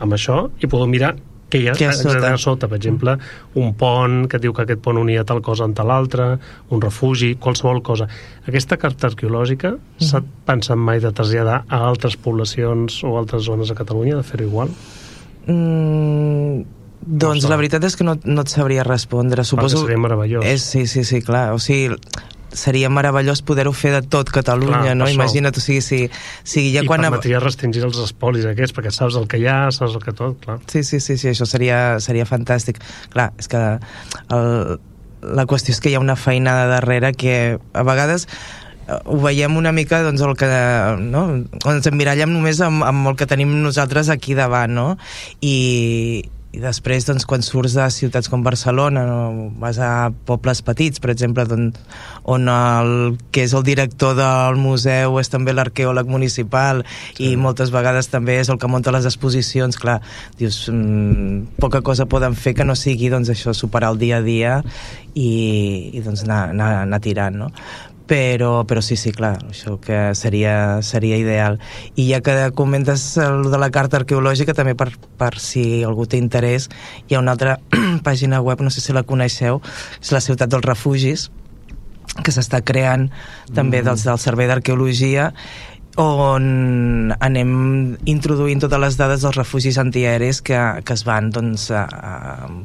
Speaker 5: amb això i podeu mirar què hi ha a sota. Per exemple, un pont que diu que aquest pont unia tal cosa amb tal altre, un refugi, qualsevol cosa. Aquesta carta arqueològica s'ha pensat mai de traslladar a altres poblacions o altres zones de Catalunya, de fer-ho igual?
Speaker 6: Doncs la veritat és que no et sabria respondre.
Speaker 5: Suposo... Perquè seria meravellós.
Speaker 6: Sí, clar. O sigui, seria meravellós poder-ho fer de tot Catalunya, clar, no? Imagina't, o sigui, ja quan...
Speaker 5: I permetria restringir els espolis aquests, perquè saps el que hi ha, saps el que tot, clar.
Speaker 6: Sí, això seria fantàstic. Clar, és que la qüestió és que hi ha una feinada darrere que a vegades ho veiem una mica, doncs, el que, no? Ens emmirallem només amb el que tenim nosaltres aquí davant, no? I després, doncs, quan surts de ciutats com Barcelona, no, vas a pobles petits, per exemple, on el que és el director del museu és també l'arqueòleg municipal, i moltes vegades també és el que munta les exposicions. Clar, dius, poca cosa poden fer que no sigui, doncs, això, superar el dia a dia i doncs, anar tirant, no? Però sí, clar, això que seria ideal. I ja que comentes el de la carta arqueològica, també per si algú té interès, hi ha una altra pàgina web, no sé si la coneixeu, és la Ciutat dels Refugis, que s'està creant també del Servei d'Arqueologia, on anem introduint totes les dades dels refugis antiaeris que es van, doncs,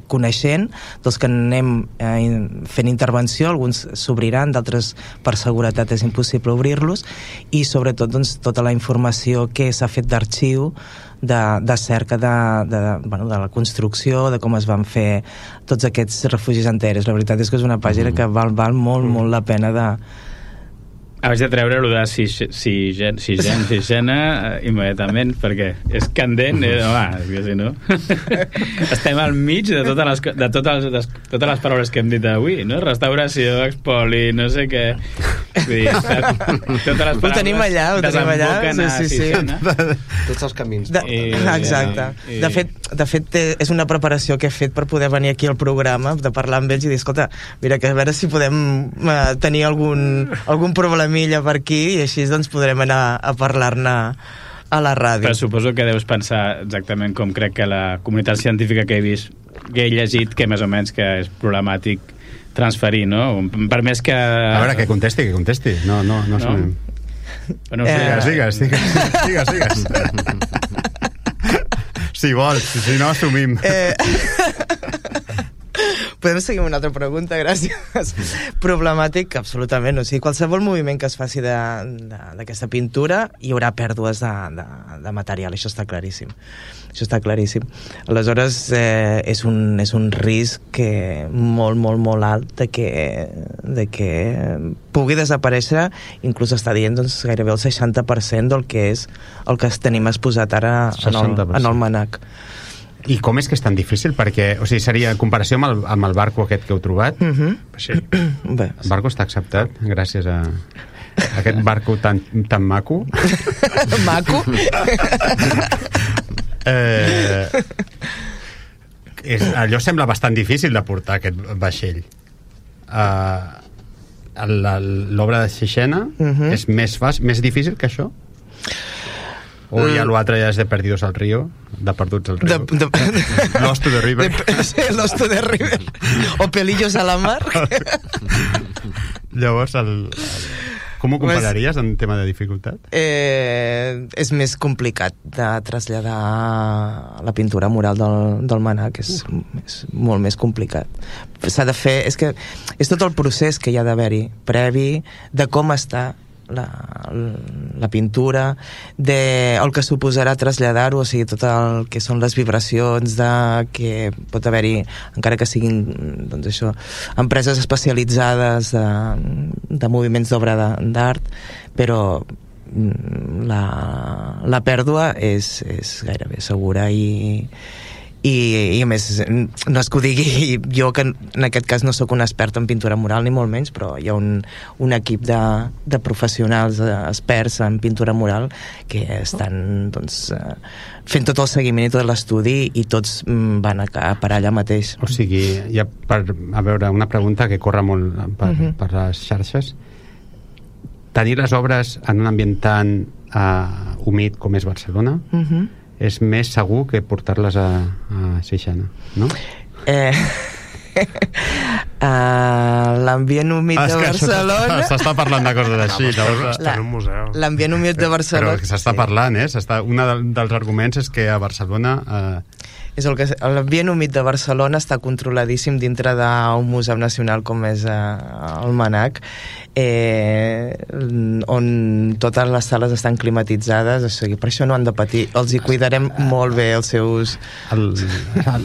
Speaker 6: coneixent, dels que anem fent intervenció. Alguns s'obriran, d'altres per seguretat és impossible obrir-los, i sobretot, doncs, tota la informació que s'ha fet d'arxiu, de cerca de la construcció, de com es van fer tots aquests refugis antiaeris. La veritat és que és una pàgina que val molt la pena de...
Speaker 3: Haig de treure el de sisena immediatament, perquè és candent, és que si no estem al mig de totes les paraules que hem dit avui, no? Restauració, expoli, no sé què, vull dir, totes les paraules
Speaker 6: ho tenim allà, sí.
Speaker 4: Tots els camins.
Speaker 6: Exacte. De fet, és una preparació que he fet per poder venir aquí al programa, de parlar amb ells i dir, escolta, mira, que a veure si podem tenir algun problemilla per aquí, i així, doncs, podrem anar a parlar-ne a la ràdio.
Speaker 3: Però suposo que deus pensar exactament com crec que la comunitat científica que he llegit, que més o menys que és problemàtic transferir, no? Per més que...
Speaker 2: A veure, que contesti. No?
Speaker 3: Bueno,
Speaker 2: digues. Si vols, si no, assumim.
Speaker 6: Podem seguir amb una altra pregunta, gràcies. Problemàtic, absolutament. O sigui, qualsevol moviment que es faci d'aquesta pintura hi haurà pèrdues de material, això està claríssim. Aleshores, és un risc molt alt de que pugui desaparèixer. Inclús està dient, doncs, gairebé el 60% del que és el que tenim exposat ara en el MNAC.
Speaker 2: I com és que és tan difícil? Perquè, o sigui, seria en comparació amb el barco aquest que heu trobat,
Speaker 6: Bé.
Speaker 2: El barco està acceptat gràcies a aquest barco tan maco.
Speaker 6: Maco?
Speaker 2: Allò sembla bastant difícil de portar, aquest vaixell. L'obra de Sixena és més difícil que això? O ja l'altre ja és de Perdidos al Río, de Perduts al Río. Lost to the River.
Speaker 6: Lost to the River. O Pelillos a la Mar.
Speaker 2: Llavors, com ho compararies en tema de dificultat?
Speaker 6: És més complicat de traslladar la pintura mural del MNAC, és molt més complicat. S'ha de fer... És tot el procés que hi ha d'haver-hi, previ, de com està la pintura, el que suposarà traslladar-ho, o sigui, tot el que són les vibracions que pot haver-hi, encara que siguin, doncs això, empreses especialitzades de moviments d'obra d'art, però la pèrdua és gairebé segura i a més, no és que ho digui jo, que en aquest cas no sóc un expert en pintura mural ni molt menys, però hi ha un equip de professionals experts en pintura mural que estan, doncs, fent tot el seguiment i tot l'estudi, i tots van a parar allà mateix.
Speaker 2: O sigui, ja a veure, una pregunta que corre molt per les xarxes: tenir les obres en un ambient tan humit com és Barcelona és més segur que portar-les a Sixena, no?
Speaker 6: L'ambient humit de Barcelona...
Speaker 2: S'està parlant de coses així.
Speaker 5: Està en un museu.
Speaker 6: L'ambient humit de Barcelona...
Speaker 2: Però s'està parlant, un dels arguments és que a Barcelona...
Speaker 6: L'ambient humit de Barcelona està controladíssim dintre d'un museu nacional com és el MNAC, on totes les sales estan climatitzades, o sigui, per això no han de patir, els hi cuidarem molt bé els seus...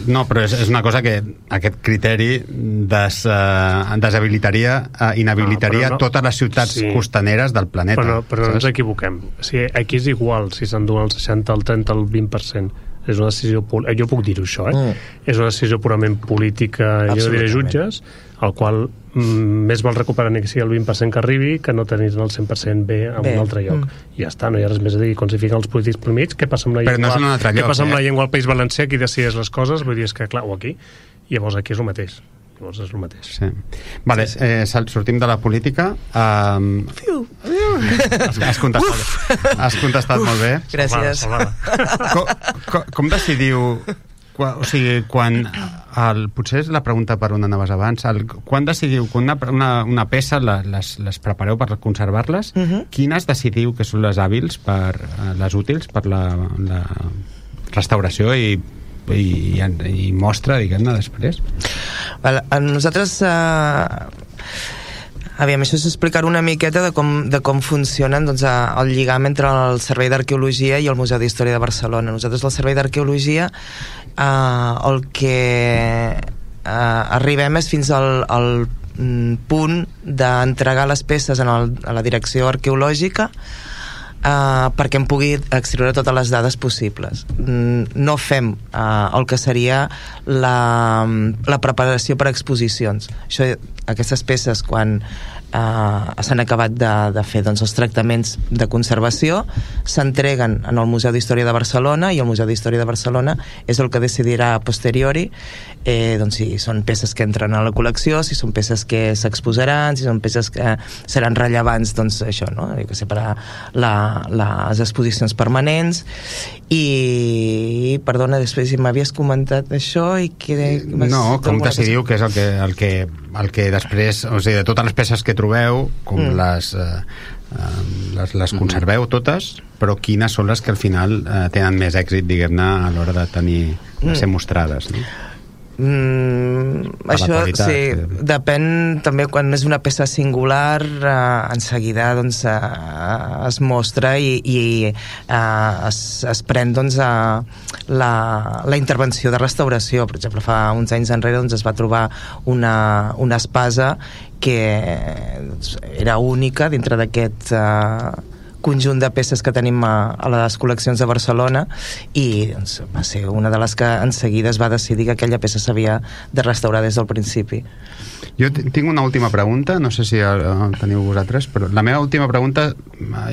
Speaker 2: No, però és una cosa que aquest criteri inhabilitaria totes les ciutats costaneres del planeta.
Speaker 5: Però no ens equivoquem. O sigui, aquí és igual si s'enduen el 60, el 30, el 20%. és una decisió jo puc dir-ho això, és una decisió purament política, jo no diré jutges, el qual més val recuperar ni que sigui el 20% que arribi que no tenir-ne el 100% bé en un altre lloc. I ja està, no hi ha res més a dir. Quan s'hi fiquen els polítics pel mig, què passa amb la llengua?
Speaker 2: Però no és en un altre lloc,
Speaker 5: què passa amb la llengua al País Valencià, qui decideix les coses? Vull dir, és que clar, o aquí. I llavors aquí és el mateix. Llavors és el mateix.
Speaker 2: Sí. Vale, sortim de la política. Has contestat molt bé.
Speaker 6: Gràcies.
Speaker 2: Com decidiu... O sigui, quan... potser és la pregunta per on anaves abans. Quan decidiu que una peça les prepareu per conservar-les, quines decidiu que són les hàbils, les útils per la restauració i mostra, diguem-ne, després?
Speaker 6: Nosaltres... Aviam, això és explicar una miqueta de com funcionen el lligam entre el Servei d'Arqueologia i el Museu d'Història de Barcelona. Nosaltres, al Servei d'Arqueologia, el que arribem és fins al punt d'entregar les peces a la direcció arqueològica perquè em pugui extreure totes les dades possibles. No fem el que seria la preparació per a exposicions. Aquestes peces, quan s'han acabat de fer els tractaments de conservació, s'entreguen en el Museu d'Història de Barcelona, i el Museu d'Història de Barcelona és el que decidirà a posteriori si són peces que entren a la col·lecció, si són peces que s'exposaran, si són peces que seran rellevants, per a les exposicions permanents. I perdona, després m'havies comentat això i
Speaker 2: com decidiu que és el que després, o sigui, de totes les peces que trobeu, com les conserveu totes, però quines són les que al final tenen més èxit, diguem-ne, a l'hora de ser mostrades, no?
Speaker 6: Això sí, depèn també. Quan és una peça singular, en seguida es mostra i es pren la intervenció de restauració. Per exemple, fa uns anys enrere es va trobar una espasa que era única dintre d'aquest conjunt de peces que tenim a les col·leccions de Barcelona, i va ser una de les que en seguida es va decidir que aquella peça s'havia de restaurar des del principi.
Speaker 2: Jo tinc una última pregunta, no sé si teniu vosaltres, però la meva última pregunta,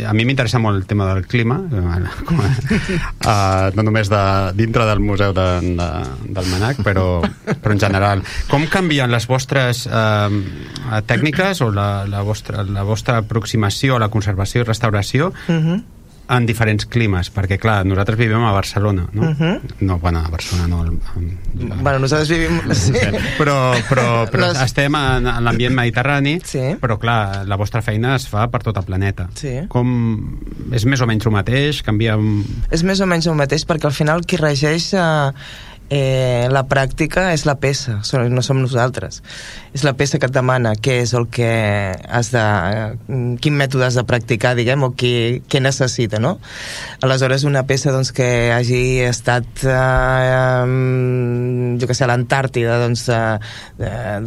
Speaker 2: a mi m'interessa molt el tema del clima, no només dintre del museu del MNAC, però en general. Com canvien les vostres tècniques o la vostra aproximació a la conservació i restauració en diferents climes? Perquè, clar, nosaltres vivim a Barcelona, no? No, bueno, a Barcelona no.
Speaker 6: Bueno, nosaltres vivim... Sí.
Speaker 2: Però estem en l'ambient mediterrani, però, clar, la vostra feina es fa per tot el planeta. Com... És més o menys el mateix? Canvia...
Speaker 6: És més o menys el mateix, perquè al final qui regeix... la pràctica és la peça, no som nosaltres. És la peça que et demana què és el que has de... quin mètode has de practicar, diguem, o què necessita, no? Aleshores, una peça que hagi estat jo que sé, a l'Antàrtida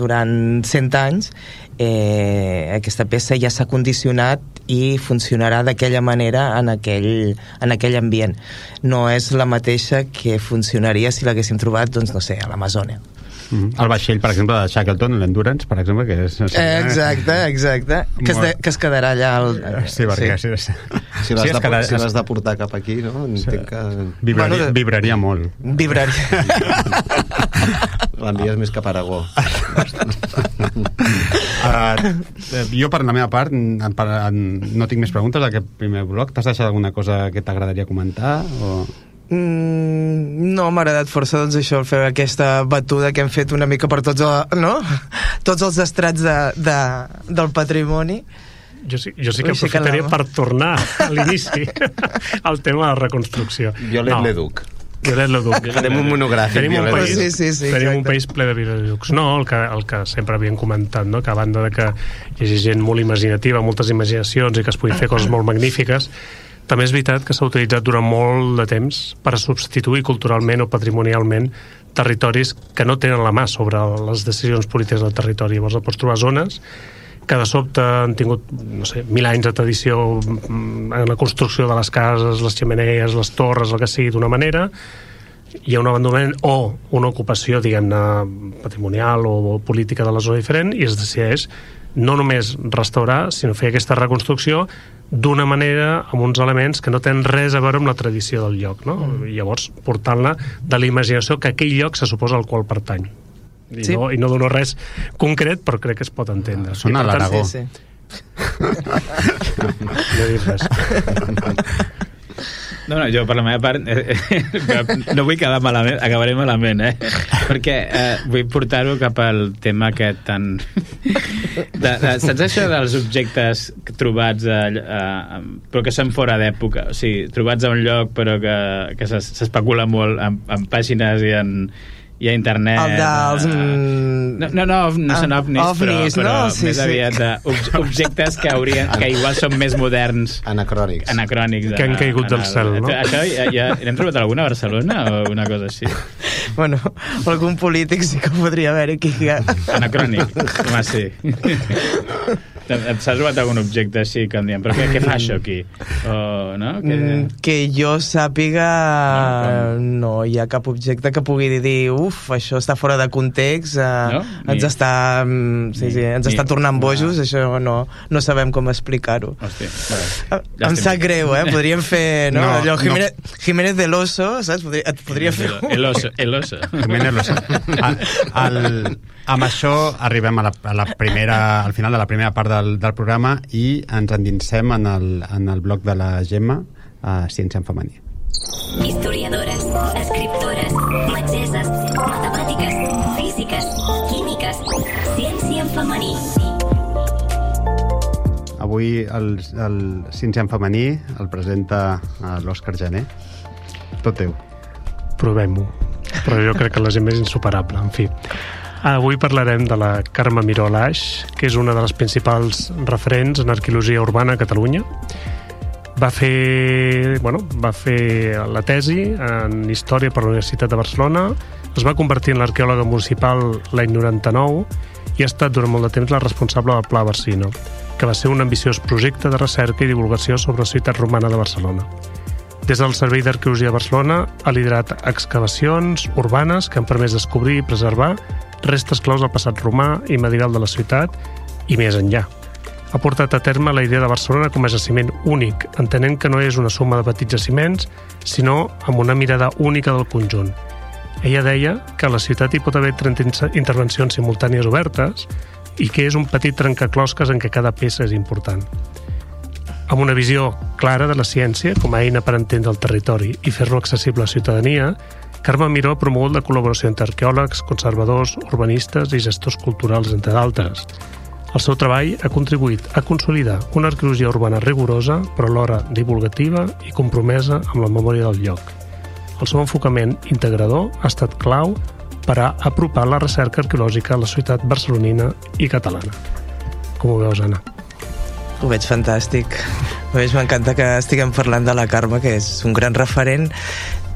Speaker 6: durant 100 anys, aquesta peça ja s'ha condicionat i funcionarà d'aquella manera en aquell ambient. No és la mateixa que funcionaria si l'haguéssim trobat, no sé, a l'Amazònia.
Speaker 2: El vaixell, per exemple, de Shackleton, l'Endurance, per exemple, que és...
Speaker 6: Exacte. Que es quedarà allà...
Speaker 2: Sí, perquè...
Speaker 4: Si l'has de portar cap aquí, no? Entenc que...
Speaker 2: Vibraria molt.
Speaker 6: Vibraria.
Speaker 4: L'envies més cap a Aragó.
Speaker 2: Jo, per la meva part, no tinc més preguntes d'aquest primer bloc. T'has deixat alguna cosa que t'agradaria comentar?
Speaker 6: No, m'ha agradat força això, fer aquesta batuda que hem fet una mica per tots els estrats del patrimoni.
Speaker 5: Jo sí que aprofitaria per tornar a l'inici al tema de la reconstrucció.
Speaker 4: Violet Leduc. Farem un monogràfic.
Speaker 5: Tenim un país ple de Viollet-le-Duc. No, el que sempre havíem comentat, no? Que a banda de que hi hagi gent molt imaginativa, moltes imaginacions i que es puguin fer coses molt magnífiques, també és veritat que s'ha utilitzat durant molt de temps per a substituir culturalment o patrimonialment territoris que no tenen la mà sobre les decisions polítiques del territori. Llavors pots trobar zones que de sobte han tingut, no sé, 1.000 anys de tradició en la construcció de les cases, les xemeneies, les torres, el que sigui, d'una manera, hi ha un abandonament o una ocupació, diguem-ne, patrimonial o política de la zona diferent, i es decideix no només restaurar, sinó fer aquesta reconstrucció d'una manera, amb uns elements que no tenen res a veure amb la tradició del lloc, no? I llavors portant-la de la imaginació que aquell lloc se suposa al qual pertany. I no dono res concret, però crec que es pot entendre.
Speaker 2: Sona a l'Aragó.
Speaker 6: Sí.
Speaker 5: No he dit res.
Speaker 3: No, jo per la meva part no vull quedar malament, acabaré malament, perquè vull portar-ho cap al tema aquest tan... saps això dels objectes trobats però que són fora d'època, o sigui, trobats a un lloc però que s'especula molt en pàgines i a internet.
Speaker 6: El dels...
Speaker 3: No són ovnis, però
Speaker 6: Sí,
Speaker 3: més aviat objectes que igual són més moderns.
Speaker 4: Anacrònics.
Speaker 5: Que han caigut del cel, no?
Speaker 3: Això ja n'hem trobat alguna a Barcelona o una cosa així?
Speaker 6: Bueno, algun polític sí que podria haver aquí.
Speaker 3: Anacrònic, home, sí. S'ha trobat algun objecte així que em diuen, però què fa això aquí? No?
Speaker 6: Que jo sàpiga no hi ha cap objecte que pugui dir això està fora de context, ens està ens està tornant bojos, això no sabem com explicar-ho. Em sap greu, podríem fer allò Jiménez del Oso, saps? Et podria fer
Speaker 3: El Oso.
Speaker 2: Jiménez Loso. Amb això arribem al final de la primera part del programa i ens endinsem en el bloc de la Gemma, Ciència en femení.
Speaker 1: Historiadores, escriptores, metgesses, matemàtiques, físiques, químiques, ciència en femení.
Speaker 2: Avui el Ciència en femení el presenta l'Òscar Jané. Tot teu.
Speaker 5: Provem-ho. Però jo crec que la gent és insuperable, en fi. Avui parlarem de la Carme Miró Alaix, que és una de les principals referents en arqueologia urbana a Catalunya. Va fer la tesi en Història per la Universitat de Barcelona, es va convertir en l'arqueòloga municipal l'any 99 i ha estat durant molt de temps la responsable del Pla Barcino, que va ser un ambiciós projecte de recerca i divulgació sobre la ciutat romana de Barcelona. Des del Servei d'Arqueologia de Barcelona ha liderat excavacions urbanes que han permès descobrir i preservar restes claus del passat romà i medieval de la ciutat i més enllà. Ha portat a terme la idea de Barcelona com a jaciment únic, entenent que no és una suma de petits jaciments, sinó amb una mirada única del conjunt. Ella deia que a la ciutat hi pot haver 30 intervencions simultànies obertes i que és un petit trencaclosques en què cada peça és important. Amb una visió clara de la ciència com a eina per entendre el territori i fer-lo accessible a la ciutadania, Carme Miró ha promogut la col·laboració entre arqueòlegs, conservadors, urbanistes i gestors culturals, entre d'altres. El seu treball ha contribuït a consolidar una arqueologia urbana rigorosa, però alhora divulgativa i compromesa amb la memòria del lloc. El seu enfocament integrador ha estat clau per a apropar la recerca arqueològica a la ciutat barcelonina i catalana. Com ho veus, Anna?
Speaker 6: Ho veig fantàstic. M'encanta que estiguem parlant de la Carme, que és un gran referent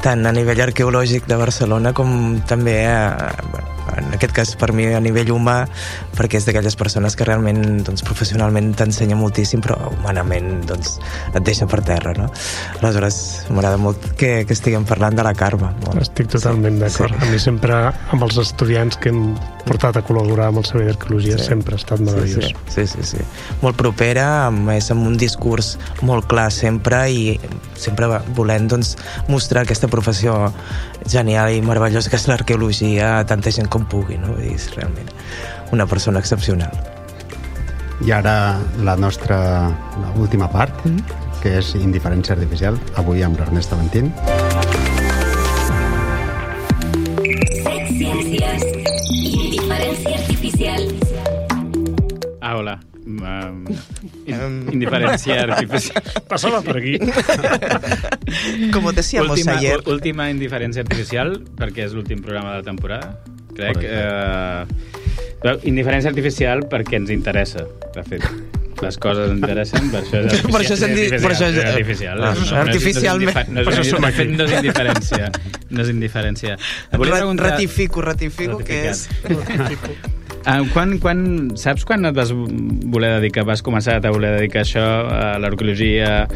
Speaker 6: tant a nivell arqueològic de Barcelona com també, en aquest cas per mi, a nivell humà, perquè és d'aquelles persones que realment professionalment t'ensenya moltíssim, però humanament et deixa per terra, no? Aleshores, m'agrada molt que estiguem parlant de la Carme.
Speaker 5: Estic totalment d'acord. A mi sempre, amb els estudiants que hem portat a col·laborar amb el Servei d'Arqueologia, sempre ha estat meravellós.
Speaker 6: Sí. Molt propera, amb un discurs molt clar sempre i sempre volent mostrar aquesta professió genial i meravellosa que és l'arqueologia a tanta gent com pugui, no? És realment una persona excepcional.
Speaker 2: I ara la nostra última part, que és Indiferència Artificial, avui amb l'Ernest Aventín.
Speaker 1: Set ciències. Indiferència artificial.
Speaker 3: Hola. Indiferència artificial.
Speaker 5: Passava per aquí.
Speaker 6: Como decíamos ayer.
Speaker 3: Última indiferència artificial, perquè és l'últim programa de la temporada, crec. Indiferència artificial perquè ens interessa, de fet. Les coses ens interessen, per això és artificial.
Speaker 6: Artificialment.
Speaker 3: De fet, no és indiferència. No és indiferència.
Speaker 6: Ratifico que és...
Speaker 3: Saps quan et vas voler dedicar, vas començar a voler dedicar això a l'arqueologia?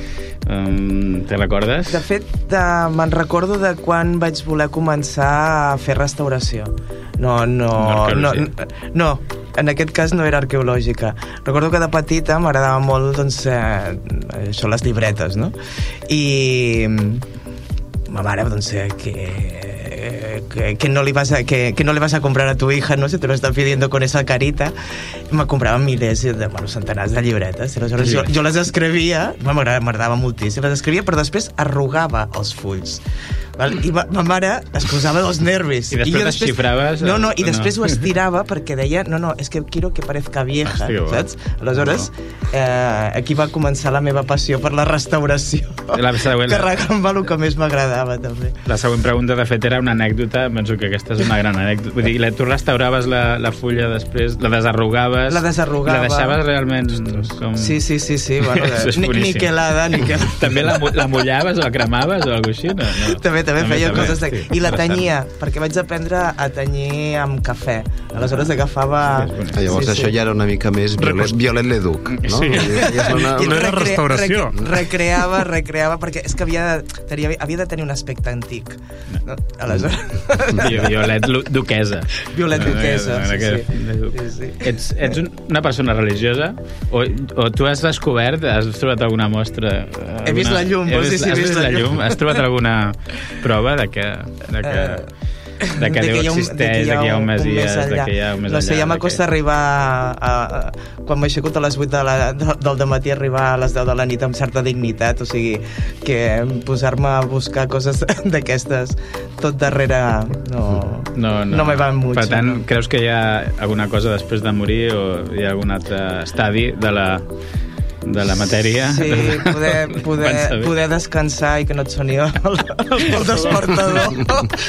Speaker 3: Te recordes?
Speaker 6: De fet, me'n recordo de quan vaig voler començar a fer restauració. No, en aquest cas no era arqueològica. Recordo que de petita m'agradava molt, doncs, això, les llibretes, no? I ma mare, doncs, que no le vas a comprar a tu hija, ¿no? Si te lo están pidiendo con esa carita. Me comprava milers centenars de llibretes. I aleshores jo les escrivia, m'agradava moltíssim, les escrivia, però després arrugava els fulls. Val? I ma mare es posava dels nervis.
Speaker 3: I després les xifraves?
Speaker 6: No, i després ho estirava perquè deia, no, és que quiero que parezca vieja, saps? Aleshores, aquí va començar la meva passió per la restauració. Carregant-me el que més m'agradava, també.
Speaker 3: La següent pregunta, de fet, era una anècdota. Penso que aquesta és una gran anècdota. Vull dir, tu restauraves la fulla després, la desarrugaves...
Speaker 6: La desarrugava.
Speaker 3: La deixaves realment com...
Speaker 6: Sí. Bueno, niquelada.
Speaker 3: També la mullaves o la cremaves o alguna cosa així? No.
Speaker 6: També feia coses de... I la tenyia, perquè vaig aprendre a tenyir amb cafè. Aleshores agafava...
Speaker 4: Llavors això ja era una mica més Violet Leduc, no?
Speaker 5: Sí. No era restauració.
Speaker 6: Recreava, perquè és que havia de tenir un aspecte antic. No? Aleshores...
Speaker 3: Violet duquesa.
Speaker 6: Violet duquesa,
Speaker 3: sí. Ets una persona religiosa o tu has descobert, has trobat alguna mostra...
Speaker 6: He vist la llum,
Speaker 3: has vist la llum? Has trobat alguna prova de que Déu existeix, de que hi ha un Messies, de que hi ha un més enllà.
Speaker 6: No sé, ja m'acosta arribar quan m'aixeco a les 8 del dematí, arribar a les 10 de la nit amb certa dignitat, o sigui, que posar-me a buscar coses d'aquestes tot darrere no me va mucho.
Speaker 3: Per tant, creus que hi ha alguna cosa després de morir o hi ha algun altre estadi de la matèria?
Speaker 6: Sí, poder descansar i que no et soni el despertador.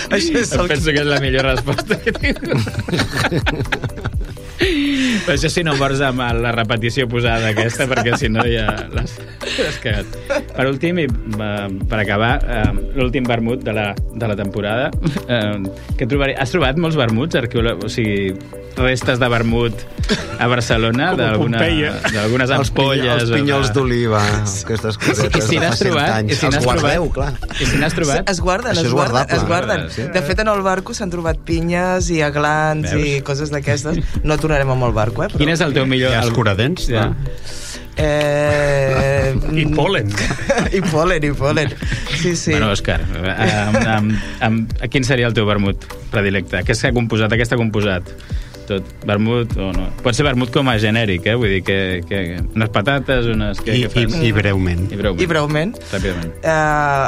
Speaker 3: Penso que és la millor resposta que tinc. Però això si no mors amb la repetició posada aquesta, perquè si no ja l'has cagat. Per últim, i per acabar, l'últim vermut de la temporada, que has trobat molts vermuts, o sigui, restes de vermut a Barcelona, d'algunes ampolles,
Speaker 4: els pinyols d'oliva, aquestes cosetes de fa 100 anys. Els guardeu, clar.
Speaker 6: I si n'has trobat? Es guarden. De fet, en el barco s'han trobat pinyes i aglans i coses d'aquestes. No tornarem amb el barco, però...
Speaker 3: Quin és el teu millor...
Speaker 2: I escuradents, no?
Speaker 5: I polen.
Speaker 6: I polen. Sí.
Speaker 3: Bueno, Òscar, quin seria el teu vermut predilecte? Què s'ha composat? Què està composat? Tot, vermut o no? Pot ser vermut com a genèric, vull dir que unes patates, unes...
Speaker 2: I breument.
Speaker 6: I breument.
Speaker 3: Ràpidament.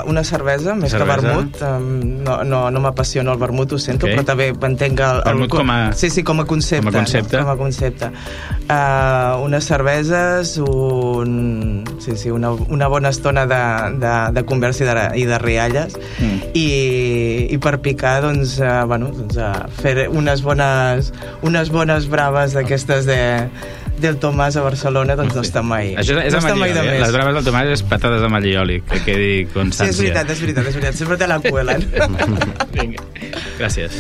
Speaker 6: Una cervesa, més que vermut. No m'apassiona el vermut, ho sento, però també entenc el...
Speaker 3: Vermut com a...
Speaker 6: Sí, com a concepte. Com a concepte. Unes cerveses, una bona estona de conversa i de rialles, i per picar, doncs, fer unes bones braves d'aquestes del Tomàs a Barcelona, doncs no està mai.
Speaker 3: Això és amb allioli, les braves del Tomàs és patates amb allioli, que quedi constància.
Speaker 6: Sí, és veritat, sempre te la cuelen.
Speaker 3: Vinga, gràcies.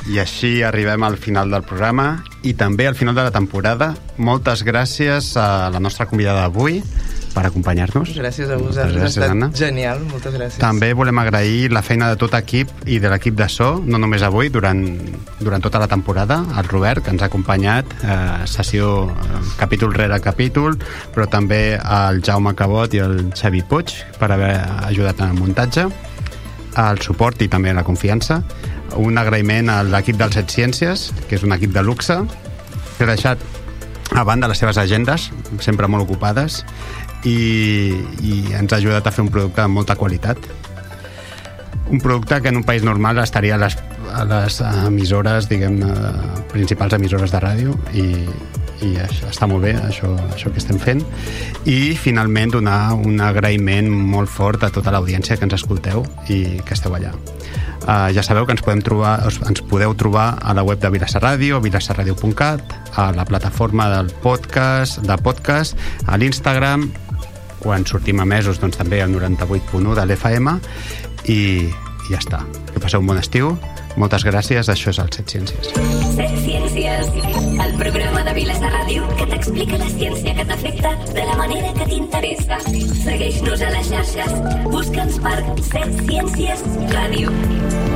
Speaker 2: I així arribem al final del programa i també al final de la temporada. Moltes gràcies a la nostra convidada d'avui per acompanyar-nos.
Speaker 6: Gràcies a vosaltres, ha estat Anna. Genial, moltes gràcies.
Speaker 2: També volem agrair la feina de tot equip i de l'equip de so, no només avui, durant tota la temporada, el Robert, que ens ha acompanyat, sessió, capítol rere capítol, però també el Jaume Cabot i el Xavi Puig per haver ajudat en el muntatge, el suport i també la confiança. Un agraïment a l'equip del Set Ciències, que és un equip de luxe, que ha deixat a banda les seves agendes, sempre molt ocupades, i ens ha ajudat a fer un producte de molta qualitat. Un producte que en un país normal estaria a les emissores, diguem-ne, principals emissores de ràdio, i està molt bé això que estem fent. I finalment donar un agraïment molt fort a tota l'audiència que ens escolteu i que esteu allà. Ja sabeu que ens podeu trobar a la web de Vilassar Ràdio, vilassarradio.cat, a la plataforma del podcast, a l'Instagram quan sortim emesos doncs, també al 98.1 de l'FM i ja està. Que passeu un bon estiu. Moltes gràcies. Això és el Set Ciències.
Speaker 1: Set Ciències, el programa de Vilassar Ràdio que t'explica la ciència que t'afecta de la manera que t'interessa. Segueix-nos a les xarxes. Busca'ns per Set Ciències Ràdio.